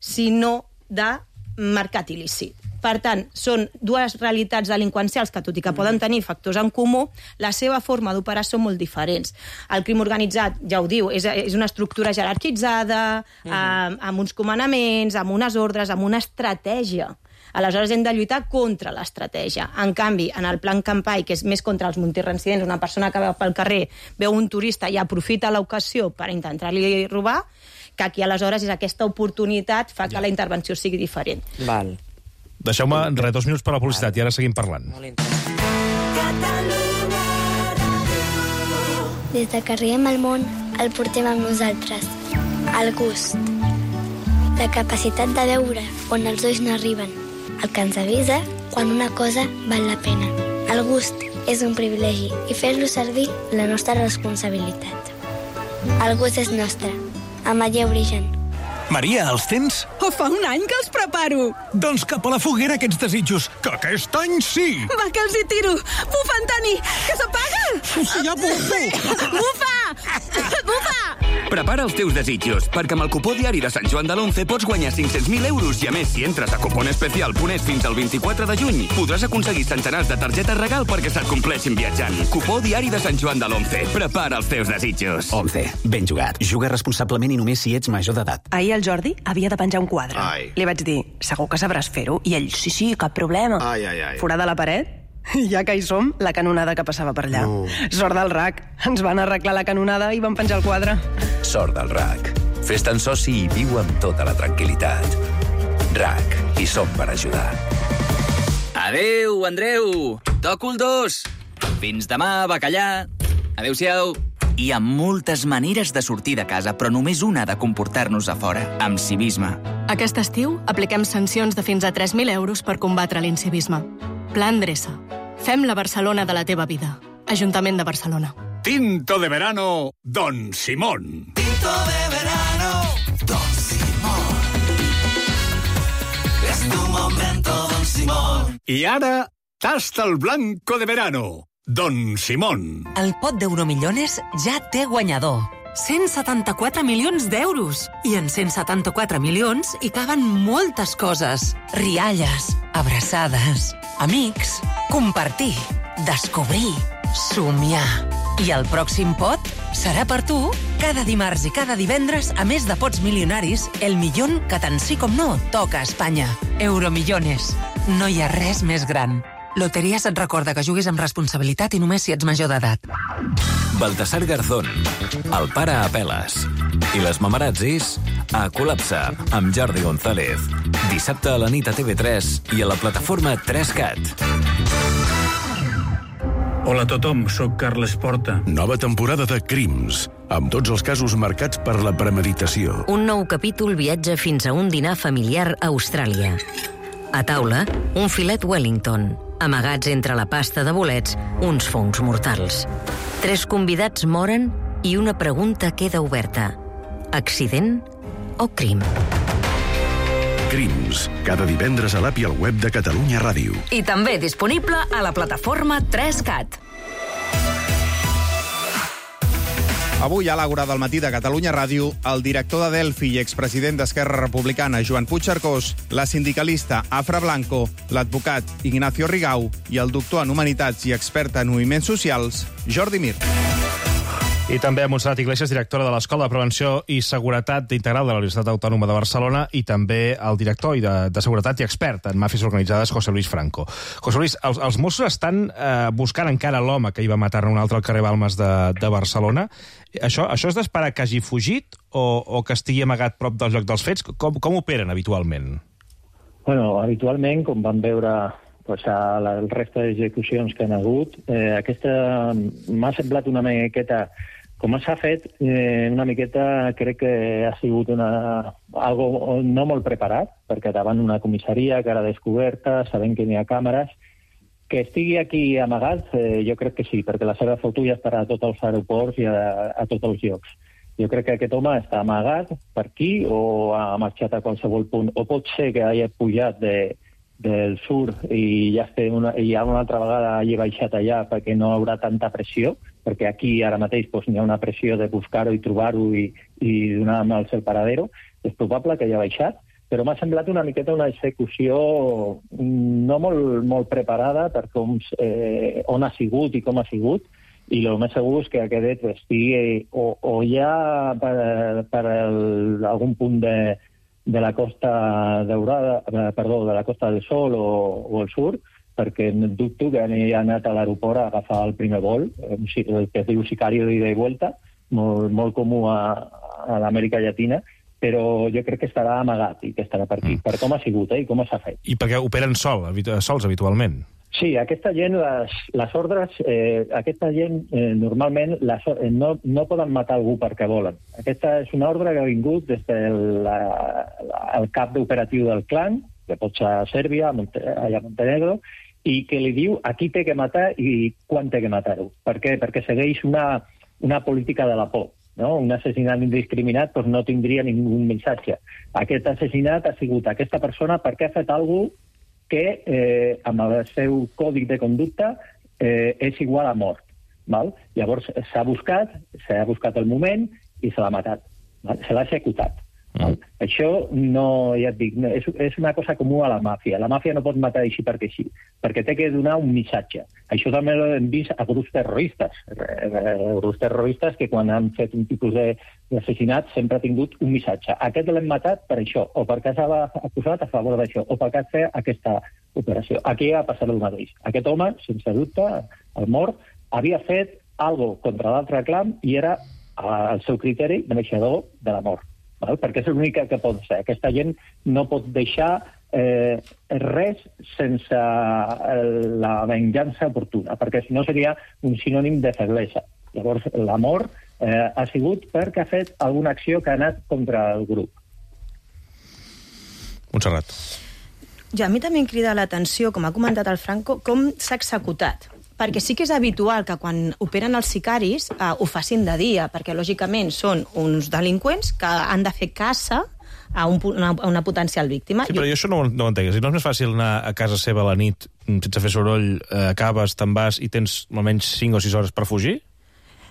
sinó de mercat il·lícit. Per tant, són dues realitats delinqüencials que, tot i que poden tenir factors en comú, la seva forma d'operar són molt diferents. El crim organitzat, ja ho diu, és, és una estructura jerarquitzada, mm. amb, amb uns comandaments, amb unes ordres, amb una estratègia. Aleshores hem de lluitar contra l'estratègia. En canvi, en el Plan Campai, que és més contra els multireincidents, una persona que va pel carrer, veu un turista i aprofita l'ocasió per intentar-li robar, que aquí aleshores és aquesta oportunitat fa que la intervenció sigui diferent. Val. Deixeu-me re, dos minuts per la publicitat i ara seguim parlant. Des de que arribem al món, el portem amb nosaltres. El gust. La capacitat de veure on els ulls no arriben. El que ens avisa quan una cosa val la pena. El gust és un privilegi i fer-lo servir la nostra responsabilitat. El gust és nostre. Amaia Origen. Maria, els tens? Oh, fa un any que els preparo. Doncs cap a la foguera aquests desitjos, que aquest any sí! Va, que els hi tiro! Bufa, Antoni, que s'apaga! Sí, ja bufo! Bufa! Bufa! Prepara els teus desitjos, perquè amb el cupó diari de Sant Joan de l'Once pots guanyar cinc-cents mil euros i, a més, si entres a cuponespecial punt es fins al vint-i-quatre de juny, podràs aconseguir centenars de targetes regal perquè se't compleixin viatjant. Cupó diari de Sant Joan de l'Once. Prepara els teus desitjos. Once. Ben jugat. Juga responsablement i només si ets major d'edat. Ahir el Jordi havia de penjar un quadre. Ai. Li vaig dir, segur que sabràs fer-ho? I ell, sí, sí, cap problema. Ai, ai, ai. Forada la paret? Ja que hi som, la canonada que passava per allà. No. Sort del R A C. Ens van arreglar la canonada i van penjar el quadre. Sort del R A C. Fes-te'n soci i viu amb tota la tranquil·litat. R A C. Hi som per ajudar. Adeu, Andreu. Toco el dos. Fins demà, bacallà. Adéu-siau. Hi ha moltes maneres de sortir de casa, però només una de comportar-nos a fora, amb civisme. Aquest estiu apliquem sancions de fins a tres mil euros per combatre l'incivisme. Pla Endreça. Fem la Barcelona de la teva vida. Ajuntament de Barcelona. Tinto de verano, Don Simón. Tinto de verano, Don Simón. Es tu momento, Don Simón. I ara, tasta el blanco de verano, Don Simón. El pot d'Euromillones ja té guanyador. cent setanta-quatre milions d'euros. I en cent setanta-quatre milions hi caben moltes coses. Rialles, abraçades, amics, compartir, descobrir, somiar. I el pròxim pot serà per tu. Cada dimarts i cada divendres, a més de pots milionaris, el millón que tant sí com no toca a Espanya. Euromillones. No hi ha res més gran. Loteries et recorda que juguis amb responsabilitat i només si ets major d'edat. Baltasar Garzón, el pare a peles. I les mamarazzis a Col·lapse, amb Jordi González. Dissabte a la nit a T V tres i a la plataforma tres cat. Hola a tothom, sóc Carles Porta. Nova temporada de Crims, amb tots els casos marcats per la premeditació. Un nou capítol viatja fins a un dinar familiar a Austràlia. A taula, un filet Wellington. Amagats entre la pasta de bolets, uns fongs mortals. Tres convidats moren i una pregunta queda oberta. Accident o crim? Crims, cada divendres a l'app i al web de Catalunya Ràdio. I també disponible a la plataforma tres cat. Avui, a l'Àgora del matí de Catalunya Ràdio, el director de Delphi i expresident d'Esquerra Republicana, Joan Puigcercós, la sindicalista Afra Blanco, l'advocat Ignacio Rigau i el doctor en Humanitats i expert en moviments socials, Jordi Mir. I també a Montserrat Iglesias, directora de l'Escola de Prevenció i Seguretat Integral de la Universitat Autònoma de Barcelona, i també el director de, de Seguretat i expert en màfies organitzades, José Luis Franco. José Luis, els, els Mossos estan eh, buscant encara l'home que hi va matar un altre al carrer Balmes de, de Barcelona. Això, això és d'esperar que hagi fugit o, o que estigui amagat prop del lloc dels fets? Com, com operen habitualment? Bueno, habitualment, com vam veure pues, a la, el resta d'execucions que han hagut, eh, aquesta m'ha semblat una miqueta. Com s'ha fet, eh, una miqueta crec que ha sigut una, algo no molt preparat, perquè davant una comissaria que era descoberta, sabent que n'hi ha càmeres, que estigui aquí amagat, eh, jo crec que sí, perquè la seva foto ja estarà a tots els aeroports i a, a tots els llocs. Jo crec que aquest home està amagat per aquí o ha marxat a qualsevol punt, o pot ser que hagi pujat de, del sur i ja, una, i ja una altra vegada hagi baixat allà perquè no haurà tanta pressió, perquè aquí ara mateix doncs, n'hi ha una pressió de buscar-ho i trobar-ho i, i donar amb el seu paradero. És probable que hagi baixat, però m'ha semblat una miqueta una execució no molt, molt preparada per com, eh, on ha sigut i com ha sigut, i el més segur és que aquest estigui o, o ja per, per el, algun punt de, de la Costa Daurada, perdó, de la Costa del Sol o, o el sur, perquè dubto que ha anat a l'aeroport a agafar el primer vol, el que es diu sicari d'ida i vuelta, molt, molt comú a, a l'Amèrica Llatina, però jo crec que estarà amagat i que estarà per aquí, mm. per com ha sigut eh, i com s'ha fet. I perquè operen sol, sols habitualment? Sí, aquesta gent, les, les ordres, eh, aquesta gent eh, normalment les, eh, no, no poden matar algú perquè volen. Aquesta és una ordre que ha vingut des del el cap d'operatiu del clan, que pot ser a Sèrbia, a Monte, allà a Montenegro, i que li diu a qui té que matar i quan té que matar-ho. Per què? Perquè segueix una, una política de la por. No? Un assassinat indiscriminat doncs no tindria ningú missatge. Aquest assassinat ha sigut aquesta persona perquè ha fet alguna cosa que eh, amb el seu còdic de conducta eh, és igual a mort. Val? Llavors s'ha buscat, s'ha buscat el moment i se l'ha matat. Val? Se l'ha executat. Val? Mm. Això no, ja et dic, no, és, és una cosa comú a la màfia. La màfia no pot matar així perquè sí, perquè té que donar un missatge. Això també ho hem vist a grups terroristes. Grups terroristes que quan han fet un tipus d'assassinat sempre ha tingut un missatge. Aquest l'hem matat per això, o perquè s'ha acusat a favor d'això, o perquè ha fet aquesta operació. Aquí ha passat el mateix. Aquest home, sense dubte, el mort, havia fet alguna cosa contra l'altre clan i era, al seu criteri, mereixedor de la mort. Val? Perquè és l'únic que pot ser. Aquesta gent no pot deixar eh, res sense la venjança oportuna, perquè si no seria un sinònim de feblesa. Llavors, l'amor eh, ha sigut perquè ha fet alguna acció que ha anat contra el grup. Montserrat. Jo, a mi també em crida l'atenció, com ha comentat el Franco, com s'ha executat. Perquè sí que és habitual que quan operen els sicaris eh, ho facin de dia, perquè lògicament són uns delinqüents que han de fer caça a, un, una, a una potencial víctima. Sí, però jo això no, no ho entenc. Si no és més fàcil anar a casa seva a la nit sense fer soroll, eh, acabes, te'n vas i tens almenys cinc o sis hores per fugir?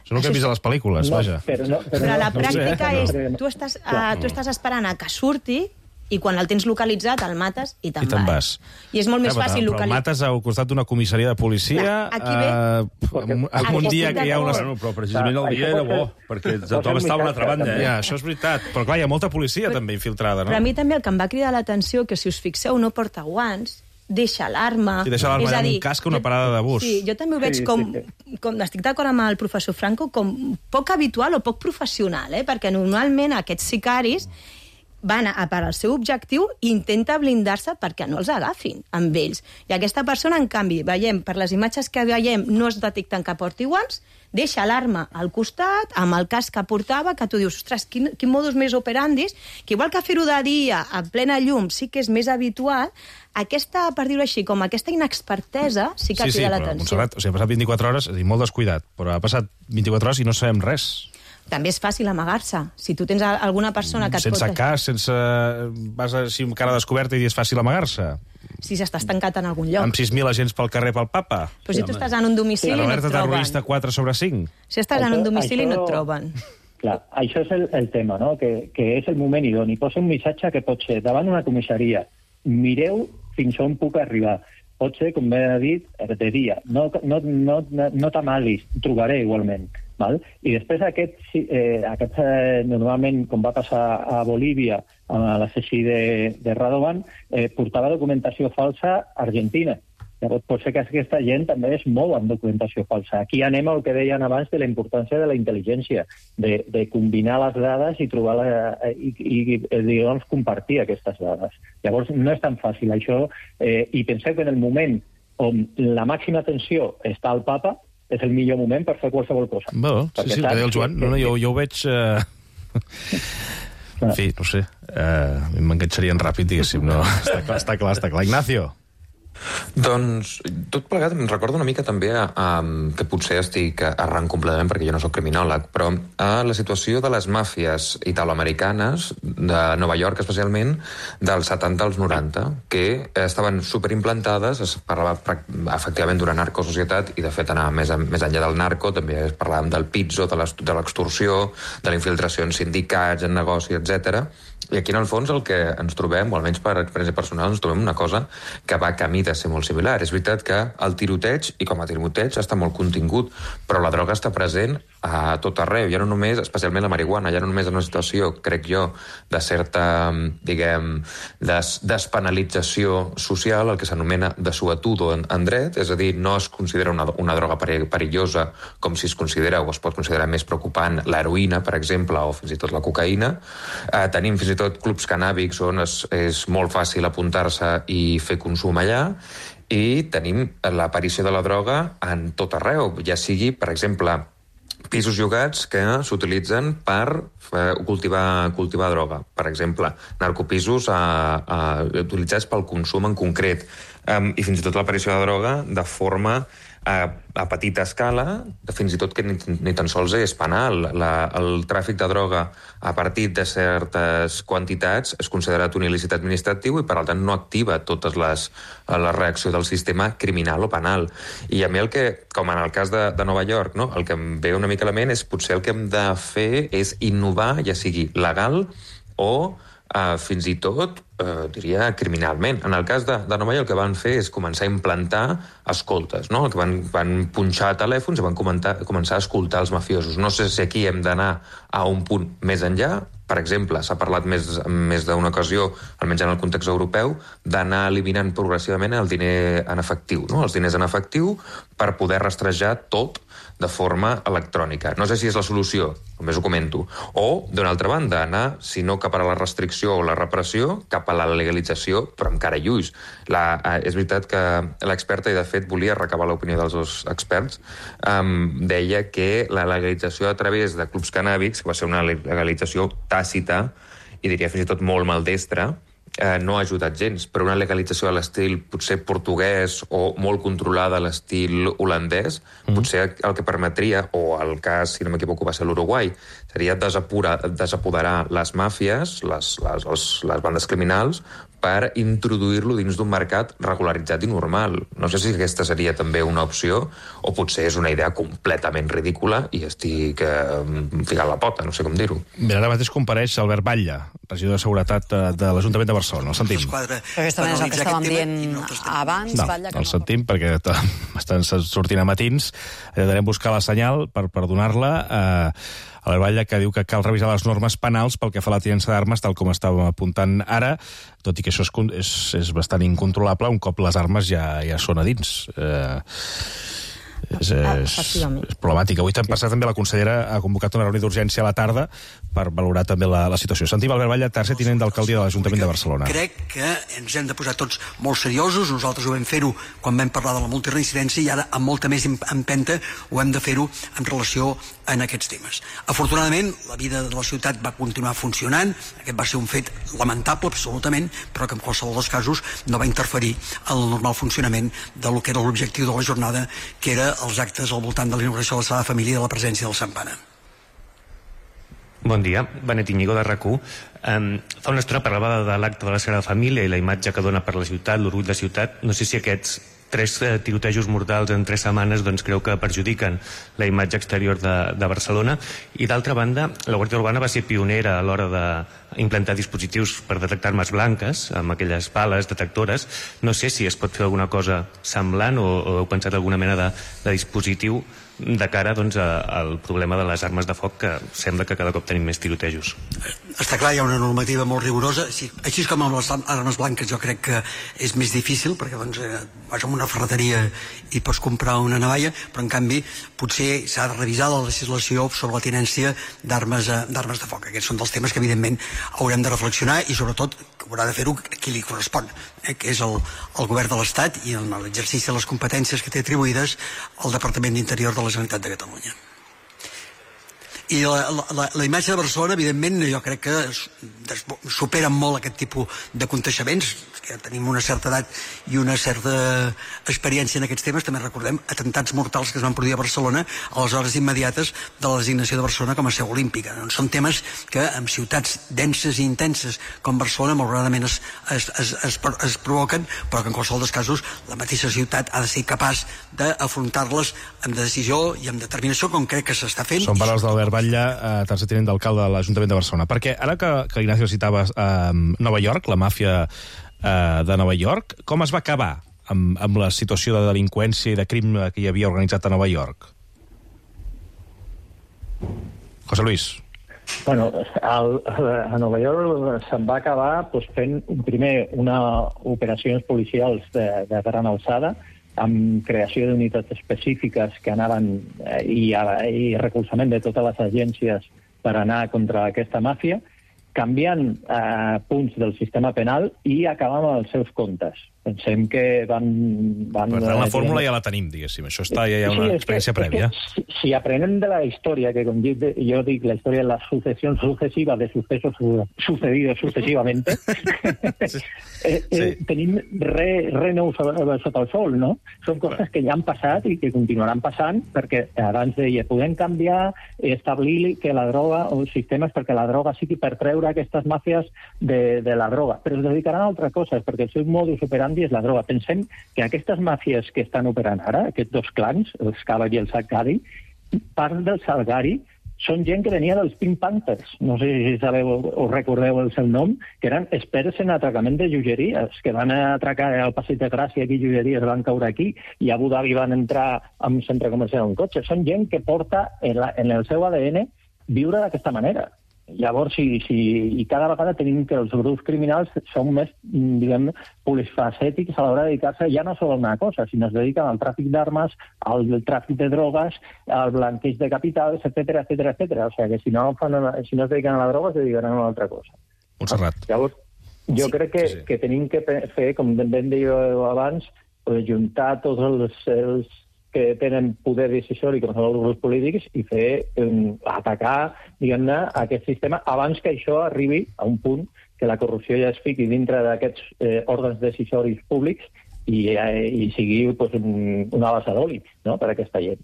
Això no ho que hem vist a les pel·lícules, no, vaja. Però, no, però, però no, la no pràctica sé, és... no. Tu estàs, uh, tu estàs esperant a que surti i quan el tens localitzat el mates i te'n I te'n vas. vas. I és molt més ja, fàcil però localitzar. el mates al costat d'una comissaria de policia Clar, aquí ve... uh, en, en un dia que hi ha una... Bueno, però precisament el dia era bo, perquè tothom estava a una altra banda. Eh? Ja, això és veritat. Però clar, hi ha molta policia però, també infiltrada, no? Però a mi també el que em va cridar l'atenció, que si us fixeu no porta guants, deixa l'arma... Sí, deixa l'arma en un casc a una parada de bus. Sí, jo també ho veig Sí, com, sí, sí. com... Estic d'acord amb el professor Franco, com poc habitual o poc professional, eh? Perquè normalment aquests sicaris van a per al seu objectiu i intenta blindar-se perquè no els agafin amb ells. I aquesta persona, en canvi, veiem, per les imatges que veiem, no es detecten que porti guants, deixa l'arma al costat, amb el casc que portava, que tu dius, ostres, quin, quin modus més operandis, que igual que fer-ho de dia, a plena llum, sí que és més habitual, aquesta, per dir-ho així, com aquesta inexpertesa, sí que sí, crida sí, l'atenció. Montserrat, o sigui, ha passat vint-i-quatre hores, és a dir, molt descuidat, però ha passat vint-i-quatre hores i no sabem res. També és fàcil amagar-se. Si tu tens alguna persona que et sense pot... Sense cas, sense... Vas així amb cara descoberta i és fàcil amagar-se. Si s'estàs tancat en algun lloc. Amb sis mil agents pel carrer pel papa. Però si tu estàs en un domicili sí, no et alerta troben. terrorista quatre sobre cinc. Si estàs això, en un domicili això... no et troben. Clar, això és el, el tema, no? Que, que és el moment idoni. Posa un missatge que pot ser davant una comissaria. Mireu fins on puc arribar. Pot ser, com bé ha dit, de dia. No, no, no, no, no t'amalis, trobaré igualment. Val? I després aquest, eh, aquest eh, normalment, com va passar a Bolívia, a l'assassí de, de Radovan, eh, portava documentació falsa a Argentina. Llavors, pot ser que aquesta gent també es mou amb documentació falsa. Aquí anem al que deien abans de la importància de la intel·ligència, de, de combinar les dades i trobar la, i, i, i doncs, compartir aquestes dades. Llavors, no és tan fàcil això, eh, i penseu que en el moment on la màxima atenció està al papa, és el millor moment per fer qualsevol cosa. Bé, sí, sí, el que deia el Joan. No, no, jo, jo ho veig... Uh... En fi, no sé. Uh, m'enganxarien ràpid, diguéssim. No, està clar, està clar, està clar. Ignacio. Doncs tot plegat em recorda una mica també a, a, que potser estic errant completament perquè jo no soc criminòleg, però a la situació de les màfies italoamericanes de Nova York especialment dels setanta als noranta, que estaven superimplantades, es parlava efectivament d'una narcosocietat i de fet anar més, més enllà del narco també es parlàvem del pizzo, de l'extorsió, de la infiltració en sindicats, en negoci, etcètera. I aquí en el fons el que ens trobem, o almenys per experiència personal, ens trobem una cosa que va camí de ser molt similar. És veritat que el tiroteig, i com a tiroteig, està molt contingut, però la droga està present a tot arreu, ja no només, especialment la marihuana, ja no només en una situació, crec jo, de certa, diguem, des, despenalització social, el que s'anomena desuetudo en, en dret, és a dir, no es considera una, una droga perillosa com si es considera o es pot considerar més preocupant l'heroïna, per exemple, o fins i tot la cocaïna. Eh, tenim fins i tot clubs canàbics on és, és molt fàcil apuntar-se i fer consum allà, i tenim l'aparició de la droga en tot arreu, ja sigui, per exemple, pisos llogats que s'utilitzen per cultivar, cultivar droga. Per exemple, narcopisos a, a, utilitzats pel consum en concret. Um, I fins i tot l'aparició de droga de forma a, a petita escala, fins i tot que ni, ni tan sols és penal. La, el tràfic de droga a partir de certes quantitats és considerat un il·lícit administratiu i, per tant, no activa totes les, la reacció del sistema criminal o penal. I a mi el que, com en el cas de, de Nova York, no? El que em ve una mica a la ment és potser el que hem de fer és innovar, ja sigui legal o Uh, fins i tot, uh, diria, criminalment. En el cas de, de Nova York el que van fer és començar a implantar escoltes, no? El que van, van punxar telèfons i van comentar, començar a escoltar els mafiosos. No sé si aquí hem d'anar a un punt més enllà. Per exemple, s'ha parlat més, més d'una ocasió, almenys en el context europeu, d'anar eliminant progressivament el diner en efectiu, no? Els diners en efectiu per poder rastrejar tot de forma electrònica. No sé si és la solució, només ho comento. O, d'una altra banda, anar, si no cap a la restricció o la repressió, cap a la legalització, però amb cara i ulls. La, eh, és veritat que l'experta, i de fet volia recabar l'opinió dels dos experts, um, deia que la legalització a través de clubs canàbics, que va ser una legalització tàcita, i diria fins i tot molt maldestra, eh, no ha ajudat gens, però una legalització a l'estil potser portuguès o molt controlada a l'estil holandès, mm. potser el que permetria, o el cas, si no m'equivoco, va ser l'Uruguai, seria desapura, desapoderar les màfies, les, les, les, les bandes criminals, per introduir-lo dins d'un mercat regularitzat i normal. No sé si aquesta seria també una opció, o potser és una idea completament ridícula i estic eh, ficant la pota, no sé com dir-ho. Mira, ara mateix compareix Albert Batlle, regidor de Seguretat de l'Ajuntament de Barcelona. El sentim. Aquesta és el que estàvem dient abans, no, Batlle. El sentim perquè estan sortint a matins. Intentarem buscar la senyal per, per donar-la. Eh, Albert Batlle, que diu que cal revisar les normes penals pel que fa a la tinença d'armes, tal com estàvem apuntant ara, tot i que això és, és, és bastant incontrolable un cop les armes ja, ja són a dins. Eh, és, és, és problemàtic. Avui passat també la consellera ha convocat una reunió d'urgència a la tarda per valorar també la, la situació. Sentim Albert Batlle, tercer tinent d'alcaldia de l'Ajuntament de Barcelona. Crec que ens hem de posar tots molt seriosos. Nosaltres ho vam fer-ho quan vam parlar de la multireincidència i ara amb molta més empenta ho hem de fer-ho en relació en aquests temes. Afortunadament, la vida de la ciutat va continuar funcionant. Aquest va ser un fet lamentable, absolutament, però que en qualsevol dels casos no va interferir en el normal funcionament del que era l'objectiu de la jornada, que era els actes al voltant de l'inauguració de la Sagrada Família i de la presència del Sant Pare. Bon dia, Benet Íñigo de RAC u. Um, fa una estona parlava de l'acte de la Sagrada Família i la imatge que dona per la ciutat, l'orgull de ciutat. No sé si aquests tres eh, tirotejos mortals en tres setmanes doncs creu que perjudiquen la imatge exterior de, de Barcelona. I d'altra banda, la Guàrdia Urbana va ser pionera a l'hora d'implantar dispositius per detectar armes blanques, amb aquelles pales detectores. No sé si es pot fer alguna cosa semblant o, o heu pensat alguna mena de, de dispositiu de cara doncs, a, al problema de les armes de foc, que sembla que cada cop tenim més tirotejos. Està clar, hi ha una normativa molt rigorosa. Així, així com amb les armes blanques jo crec que és més difícil, perquè doncs, eh, vas a una ferreteria i pots comprar una navalla, però en canvi potser s'ha de revisar la legislació sobre la tinència d'armes d'armes de foc. Aquests són dels temes que evidentment haurem de reflexionar i sobretot haurà de fer-ho a qui li correspon, eh, que és el, el govern de l'Estat i en l'exercici de les competències que té atribuïdes al Departament d'Interior de la Generalitat de Catalunya. I la, la, la imatge de Barcelona, evidentment, jo crec que supera molt aquest tipus de contaixements, que tenim una certa edat i una certa experiència en aquests temes. També recordem atemptats mortals que es van produir a Barcelona a les hores immediates de la designació de Barcelona com a seu olímpica. Doncs són temes que en ciutats denses i intenses com Barcelona malauradament es, es, es, es, es provoquen, però que en qualsevol dels casos la mateixa ciutat ha de ser capaç d'afrontar-les amb decisió i amb determinació, com crec que s'està fent. Són paraules d'Albert Batlle, eh, tercer tinent d'alcalde de l'Ajuntament de Barcelona. Perquè ara que, que Ignacio citava eh, Nova York, la màfia eh, de Nova York, com es va acabar amb, amb la situació de delinqüència i de crim que hi havia organitzat a Nova York? José Luis. Bueno, al, a Nova York se'n va acabar pues, fent primer una operacions policials de, de gran alçada, amb creació d'unitats específiques que anaven eh, i, i recolzament de totes les agències per anar contra aquesta màfia, canviant eh, punts del sistema penal i acabant amb els seus comptes. Pensem que van... van per tant, la fórmula ja la tenim, diguéssim. Això està, ja hi ha una sí, experiència que, prèvia. Si, si aprenem de la història, que com jo dic, la història és la sucessió successiva de sucesos sucedidos sucesivamente, sí. eh, eh, sí. tenim re, re nou sota el sol, no? Són coses que ja han passat i que continuaran passant, perquè abans deia, podem canviar, establir que la droga, o sistemes perquè la droga sigui per treure aquestes màfies de, de la droga, però es dedicaran a altres coses, perquè el seu modus operandi és la droga. Pensem que aquestes màfies que estan operant ara, aquests dos clans, el Scava i el Salgari, part del Salgari són gent que venia dels Pink Panthers. No sé si sabeu o recordeu el seu nom, que eren experts en atracament de joieries, que van atracar al Passeig de Gràcia, aquí joieries van caure aquí, i a Abu Dhabi van entrar a un centre comercial en cotxe. Són gent que porta en, la, en el seu A D N viure d'aquesta manera. Llavors, si, si, i cada vegada tenim que els grups criminals són més, diguem, polifacètics a l'hora de dedicar-se ja no sol a una cosa, sinó es dediquen al tràfic d'armes, al tràfic de drogues, al blanqueig de capitals, etcètera, etcètera, etcètera. O sigui que si no, fan, si no es dediquen a la droga, es dedicaran a una altra cosa. Montserrat. Llavors, jo sí, crec que, sí, sí. que tenim que fer, com ben deia abans, juntar tots els, els que tenen poder decisori com són els grups polítics i fer um, atacar, diguem-ne, aquest sistema abans que això arribi a un punt que la corrupció ja es fiqui dintre d'aquests eh, òrgans decisoris públics i, eh, i sigui pues, un, una bassa d'oli, no?, per a aquesta gent.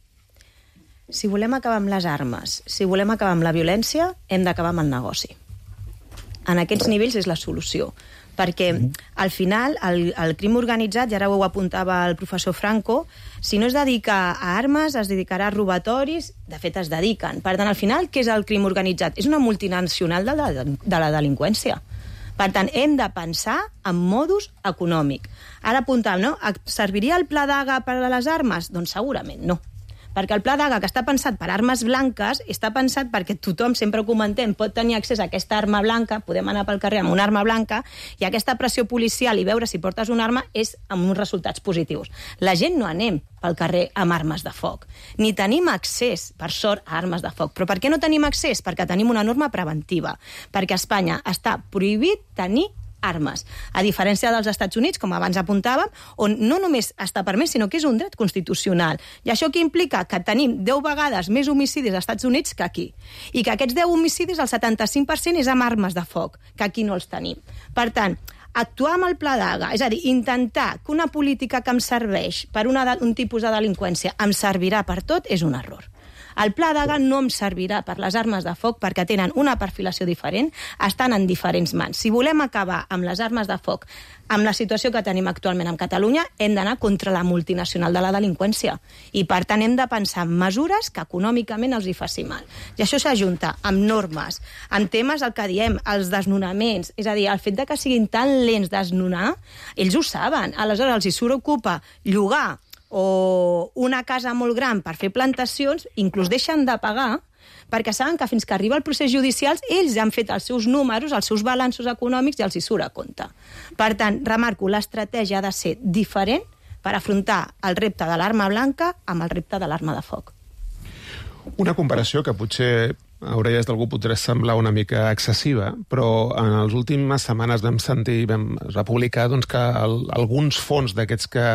Si volem acabar amb les armes, si volem acabar amb la violència, hem d'acabar amb el negoci. En aquests nivells és la solució. Perquè al final el, el crim organitzat, i ara ho apuntava el professor Franco, si no es dedica a armes, es dedicarà a robatoris, de fet es dediquen. Per tant, al final, què és el crim organitzat? És una multinacional de la, de la delinqüència. Per tant, hem de pensar en modus econòmic. Ara apuntàvem, no? Serviria el pla d'Haga per a les armes? Doncs segurament no. Perquè el pla d'Haga, que està pensat per armes blanques, està pensat perquè tothom, sempre ho comentem, pot tenir accés a aquesta arma blanca, podem anar pel carrer amb una arma blanca, i aquesta pressió policial i veure si portes una arma és amb uns resultats positius. La gent no anem pel carrer amb armes de foc, ni tenim accés, per sort, a armes de foc. Però per què no tenim accés? Perquè tenim una norma preventiva, perquè a Espanya està prohibit tenir armes, a diferència dels Estats Units, com abans apuntàvem, on no només està permès, sinó que és un dret constitucional. I això què implica? Que tenim deu vegades més homicidis als Estats Units que aquí. I que aquests deu homicidis, el setanta-cinc per cent és amb armes de foc, que aquí no els tenim. Per tant, actuar amb el pla d'Haga, és a dir, intentar que una política que em serveix per una, un tipus de delinqüència em servirà per tot, és un error. El pla d'Haga no em servirà per les armes de foc perquè tenen una perfilació diferent, estan en diferents mans. Si volem acabar amb les armes de foc, amb la situació que tenim actualment a Catalunya, hem d'anar contra la multinacional de la delinqüència. I, per tant, hem de pensar en mesures que econòmicament els hi faci mal. I això s'ajunta amb normes, amb temes, el que diem, els desnonaments. És a dir, el fet de que siguin tan lents desnonar, ells ho saben. Aleshores, els hi surt ocupa llogar o una casa molt gran per fer plantacions, inclús deixen de pagar, perquè saben que fins que arriba el procés judicial ells han fet els seus números, els seus balanços econòmics i els hi surt a compte. Per tant, remarco, l'estratègia ha de ser diferent per afrontar el repte de l'arma blanca amb el repte de l'arma de foc. Una comparació que potser a orelles d'algú podria semblar una mica excessiva, però en les últimes setmanes vam sentir, vam republicar doncs, que el, alguns fons d'aquests que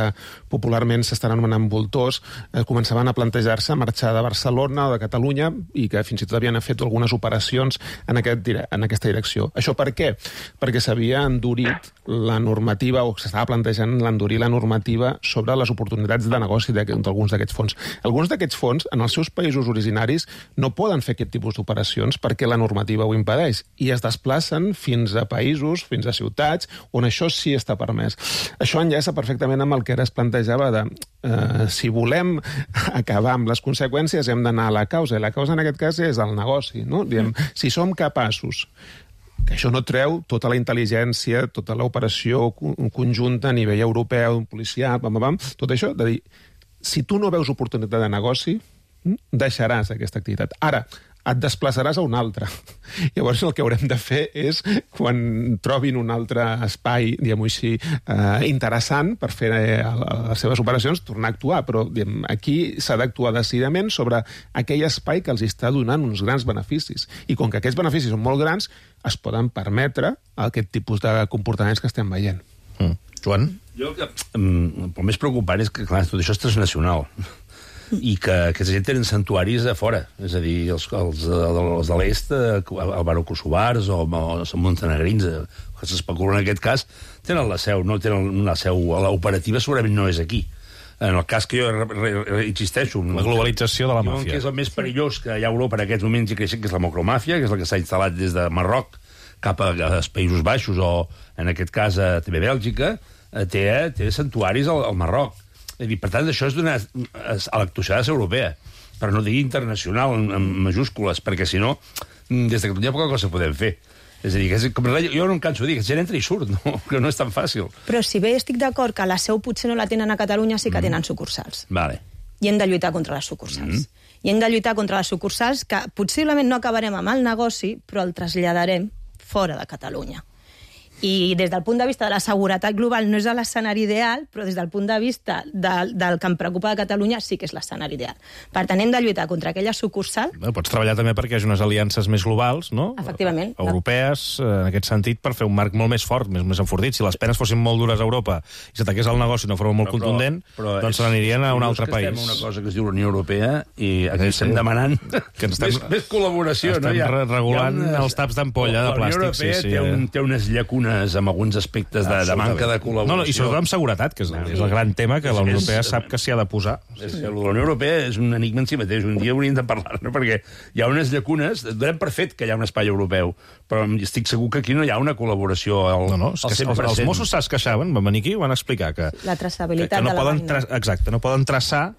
popularment s'estan anomenant voltors eh, començaven a plantejar-se marxar de Barcelona o de Catalunya i que fins i tot havien fet algunes operacions en, aquest, en aquesta direcció. Això per què? Perquè s'havia endurit la normativa, o s'estava plantejant l'endurir la normativa sobre les oportunitats de negoci d'alguns d'aquests fons. Alguns d'aquests fons, en els seus països originaris, no poden fer aquest tipus d'operacions perquè la normativa ho impedeix i es desplacen fins a països, fins a ciutats, on això sí està permès. Això enllaça perfectament amb el que ara es plantejava de eh, si volem acabar amb les conseqüències hem d'anar a la causa, i la causa en aquest cas és el negoci, no? Diem, si som capaços, que això no treu tota la intel·ligència, tota l'operació conjunta a nivell europeu, policial, pam, pam, tot això, de dir, si tu no veus oportunitat de negoci, deixaràs aquesta activitat. Ara, et desplaçaràs a un altre. Llavors el que haurem de fer és, quan trobin un altre espai, diguem-ho així, eh, interessant per fer eh, les seves operacions, tornar a actuar. Però diguem, aquí s'ha d'actuar decididament sobre aquell espai que els està donant uns grans beneficis. I com que aquests beneficis són molt grans, es poden permetre aquest tipus de comportaments que estem veient. Mm. Joan? Jo, el més preocupant és que, clar, tot això és transnacional. I que aquesta gent tenen santuaris a fora, és a dir, els, els, els de l'est, albano-kosovars o, o montenegrins, que s'especulen en aquest cas, tenen la seu, no tenen una seu, l'operativa segurament no és aquí. En el cas que jo re, re, re, insisteixo... La globalització de la màfia. Que és el més perillós que hi ha a Europa en aquests moments i creixent, que és la macromàfia, que és la que s'ha instal·lat des de Marroc cap als Països Baixos o, en aquest cas, a, també Bèlgica, té, té santuaris al, al Marroc. Per tant, això és d'una a l'actuació europea, però no digui internacional en, en majúscules, perquè si no, des de Catalunya poca cosa podem fer. És a dir, que és, com, jo no em canso de dir que gent entra i surt, no? Que no és tan fàcil. Però si bé estic d'acord que la seu potser no la tenen a Catalunya, sí que mm. tenen sucursals. Vale. I hem de lluitar contra les sucursals. Mm. I hem de lluitar contra les sucursals que possiblement no acabarem amb el negoci, però el traslladarem fora de Catalunya. I des del punt de vista de la seguretat global no és l'escenari ideal, però des del punt de vista del, del que em preocupa de Catalunya sí que és l'escenari ideal. Per tant, hem de lluitar contra aquella sucursal. Bueno, pots treballar també perquè hi hagi unes aliances més globals, no? Efectivament. Europees, en aquest sentit, per fer un marc molt més fort, més, més enfortit. Si les penes fossin molt dures a Europa i s'ataqués el negoci d'una forma molt però, contundent, però, però doncs se n'anirien a un altre país. Estem una cosa que es diu la Unió Europea i aquí estem demanant que estem, més, més col·laboració. Estem no? Hi ha, regulant hi ha unes, els taps d'ampolla de plàstic. La Unió Europea sí, sí, té, un, té unes llacunes amb alguns aspectes de, de manca de col·laboració. No, no, i sobretot amb seguretat, que és, no, és el gran tema que la Unió Europea sap que s'hi ha de posar. És, la Unió Europea és un enigma en si mateix. Un dia hauríem de parlar, no? Perquè hi ha unes llacunes, donem per fet que hi ha un espai europeu, però estic segur que aquí no hi ha una col·laboració al, no, no, és al cent per cent. Els, els Mossos es queixaven, van venir aquí i van explicar que... La traçabilitat que, que no de la poden vaina. Exacte, no poden traçar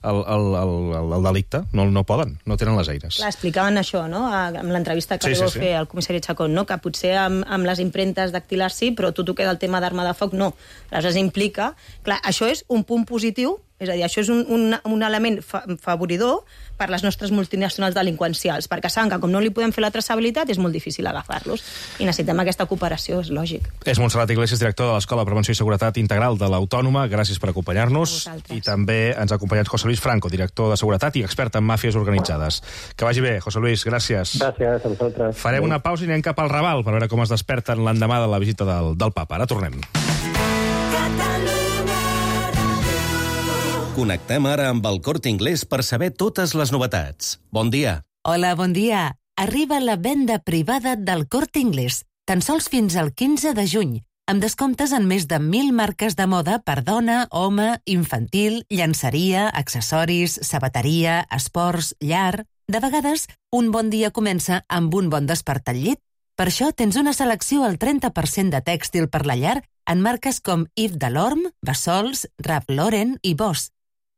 el, el, el, el delicte. No, no poden, no tenen les eines. Clar, explicaven això, no?, amb l'entrevista que sí, sí, sí, sí. fer el comissari Chacón, no?, que potser amb, amb les impremtes dactilars sí, però tot el que és el tema d'arma de foc no. Aleshores implica... Clar, això és un punt positiu, és a dir, això és un, un, un element fa, favoridor per les nostres multinacionals delinqüencials, perquè saben que com no li podem fer la traçabilitat és molt difícil agafar-los i necessitem aquesta cooperació, és lògic. És Montserrat Iglesias, director de l'Escola de Prevenció i Seguretat Integral de l'Autònoma. Gràcies per acompanyar-nos. I també ens ha acompanyat José Luis Franco, director de Seguretat i expert en màfies organitzades. Que vagi bé, José Luis, gràcies. Gràcies a vosaltres. Farem una pausa i anem cap al Raval per veure com es desperten l'endemà de la visita del, del papa. Ara tornem. Connectem ara amb el Corte Inglés per saber totes les novetats. Bon dia. Hola, bon dia. Arriba la venda privada del Corte Inglés, tan sols fins al quinze de juny, amb descomptes en més de mil marques de moda per dona, home, infantil, llançeria, accessoris, sabateria, esports, llar... De vegades, un bon dia comença amb un bon despert al llit. Per això tens una selecció al trenta per cent de tèxtil per la llar en marques com Yves Saint Laurent, Bassols, Ralph Lauren i Boss.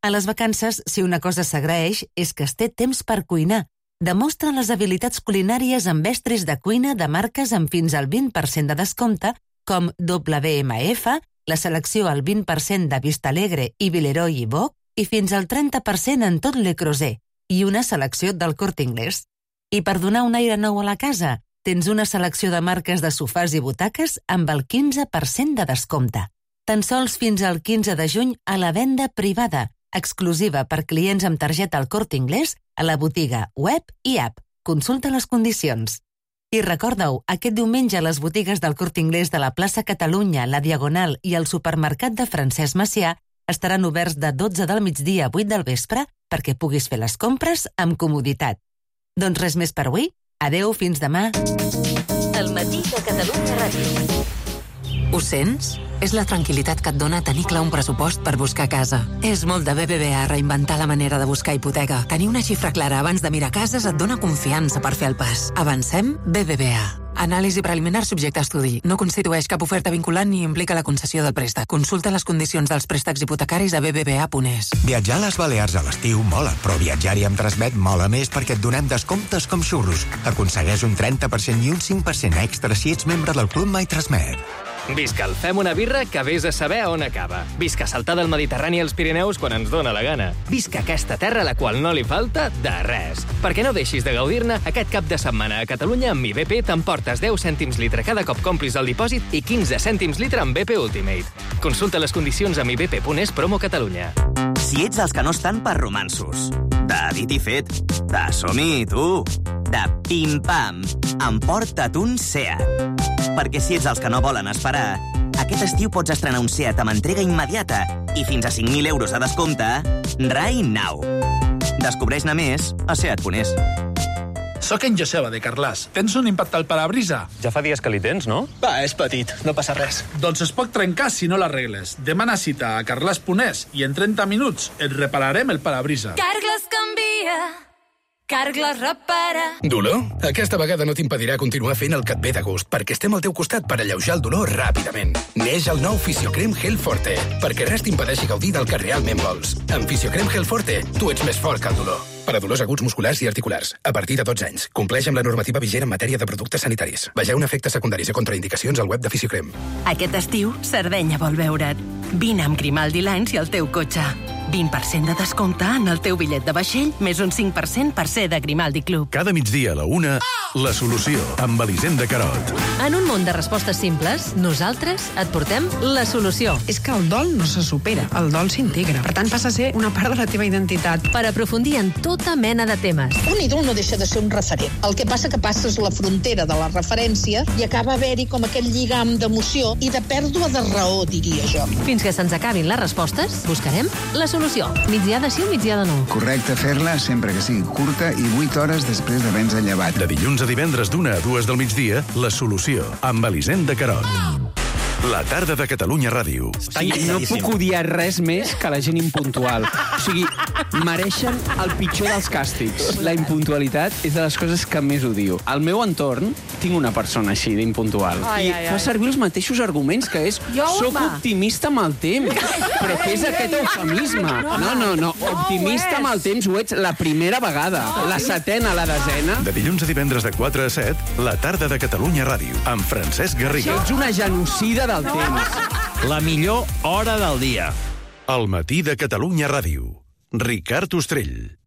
A les vacances, si una cosa s'agraeix, és que es té temps per cuinar. Demostra les habilitats culinàries amb estris de cuina de marques amb fins al vint per cent de descompte, com W M F, la selecció al vint per cent de Vistalegre i Villeroy i Boc, i fins al trenta per cent en tot Le Creuset, i una selecció del Corte Inglés. I per donar un aire nou a la casa, tens una selecció de marques de sofàs i butaques amb el quinze per cent de descompte. Tan sols fins al quinze de juny a la venda privada, exclusiva per clients amb targeta al Corte Inglés, a la botiga web i app. Consulta les condicions. I recorda-ho, aquest diumenge a les botigues del Corte Inglés de la plaça Catalunya, la Diagonal i el supermercat de Francesc Macià estaran oberts de dotze del migdia a vuit del vespre perquè puguis fer les compres amb comoditat. Doncs res més per avui. Adeu, fins demà. El matí de Catalunya Ràdio. Ho sents? És la tranquil·litat que et dona tenir clar un pressupost per buscar casa. És molt de B B V A reinventar la manera de buscar hipoteca. Tenir una xifra clara abans de mirar cases et dona confiança per fer el pas. Avancem? B B V A. Anàlisi preliminar subjecte a estudi. No constitueix cap oferta vinculant ni implica la concessió del préstec. Consulta les condicions dels préstecs hipotecaris a b b v a punt e s. Viatjar a les Balears a l'estiu mola, però viatjar-hi amb Transmet mola més perquè et donem descomptes com xurros. Aconsegueix un trenta per cent i un cinc per cent extra si ets membre del Club My Transmet. Visca el Fem una birra que vés a saber on acaba. Visca saltar del Mediterrani als Pirineus quan ens dóna la gana. Visca aquesta terra a la qual no li falta de res. Perquè no deixis de gaudir-ne, aquest cap de setmana a Catalunya amb Mi B P t'emportes deu cèntims litre cada cop complis el dipòsit i quinze cèntims litre amb B P Ultimate. Consulta les condicions a mi b p punt e s promo Catalunya. Si ets els que no estan per romansos, de dit i fet, de som-hi, tu, de pim-pam, emporta't un Seat. Perquè si ets els que no volen esperar, aquest estiu pots estrenar un Seat amb entrega immediata i fins a cinc mil euros a descompte, right now. Descobreix-ne més a seat punt e s. Soc en Joseba, de Carglass. Tens un impacte al parabrisa? Ja fa dies que li tens, no? Va, és petit, no passa res. Doncs es pot trencar si no l'arregles. Demana cita a carglass punt e s i en trenta minuts et repararem el parabrisa. Carglass canvia. Carglass repara. Dolor? Aquesta vegada no t'impedirà continuar fent el que et ve de gust, perquè estem al teu costat per alleujar el dolor ràpidament. Neix el nou Fisiocrem Gel Forte, perquè res t'impedeixi gaudir del que realment vols. Amb Fisiocrem Gel Forte, tu ets més fort que el dolor. Per a dolors aguts musculars i articulars, a partir de dotze anys. Compleix amb la normativa vigent en matèria de productes sanitaris. Vegeu efectes secundaris i contraindicacions al web de Fisiocrem. Aquest estiu, Sardenya vol veure't. Vine amb Grimaldi Lines i el teu cotxe. vint per cent de descompte en el teu bitllet de vaixell, més un cinc per cent per ser de Grimaldi Club. Cada migdia a la una, La Solució, amb Elisenda Carot. En un món de respostes simples, nosaltres et portem la solució. És que el dol no se supera, el dol s'integra. Per tant, passa a ser una part de la teva identitat. Per aprofundir en tota mena de temes. Un ídol no deixa de ser un referent. El que passa que passes la frontera de la referència i acaba haver-hi com aquell lligam d'emoció i de pèrdua de raó, diria jo. Fins que se'ns acabin les respostes, buscarem la solució. Migdiada sí o migdiada no. Correcte fer-la sempre que sigui curta i vuit hores després d'haver-nos llevat. De dilluns a divendres d'una a dues del migdia, La Solució, amb Elisenda Carot. La tarda de Catalunya Ràdio. Sí, no puc odiar res més que la gent impuntual. O sigui, mereixen el pitjor dels càstigs. La impuntualitat és de les coses que més odio. Al meu entorn tinc una persona així d'impuntual. Ai, I ai, fa ai. servir els mateixos arguments, que és Jo, soc home. optimista amb el temps. Però què és aquest eufemisme? No, no, no. Optimista amb el temps ho ets la primera vegada. La setena, la desena. De dilluns a divendres de quatre a set, La tarda de Catalunya Ràdio, amb Francesc Garriga. Ets una genocida del temps. La millor hora del dia. El matí de Catalunya Ràdio. Ricard Ostrell.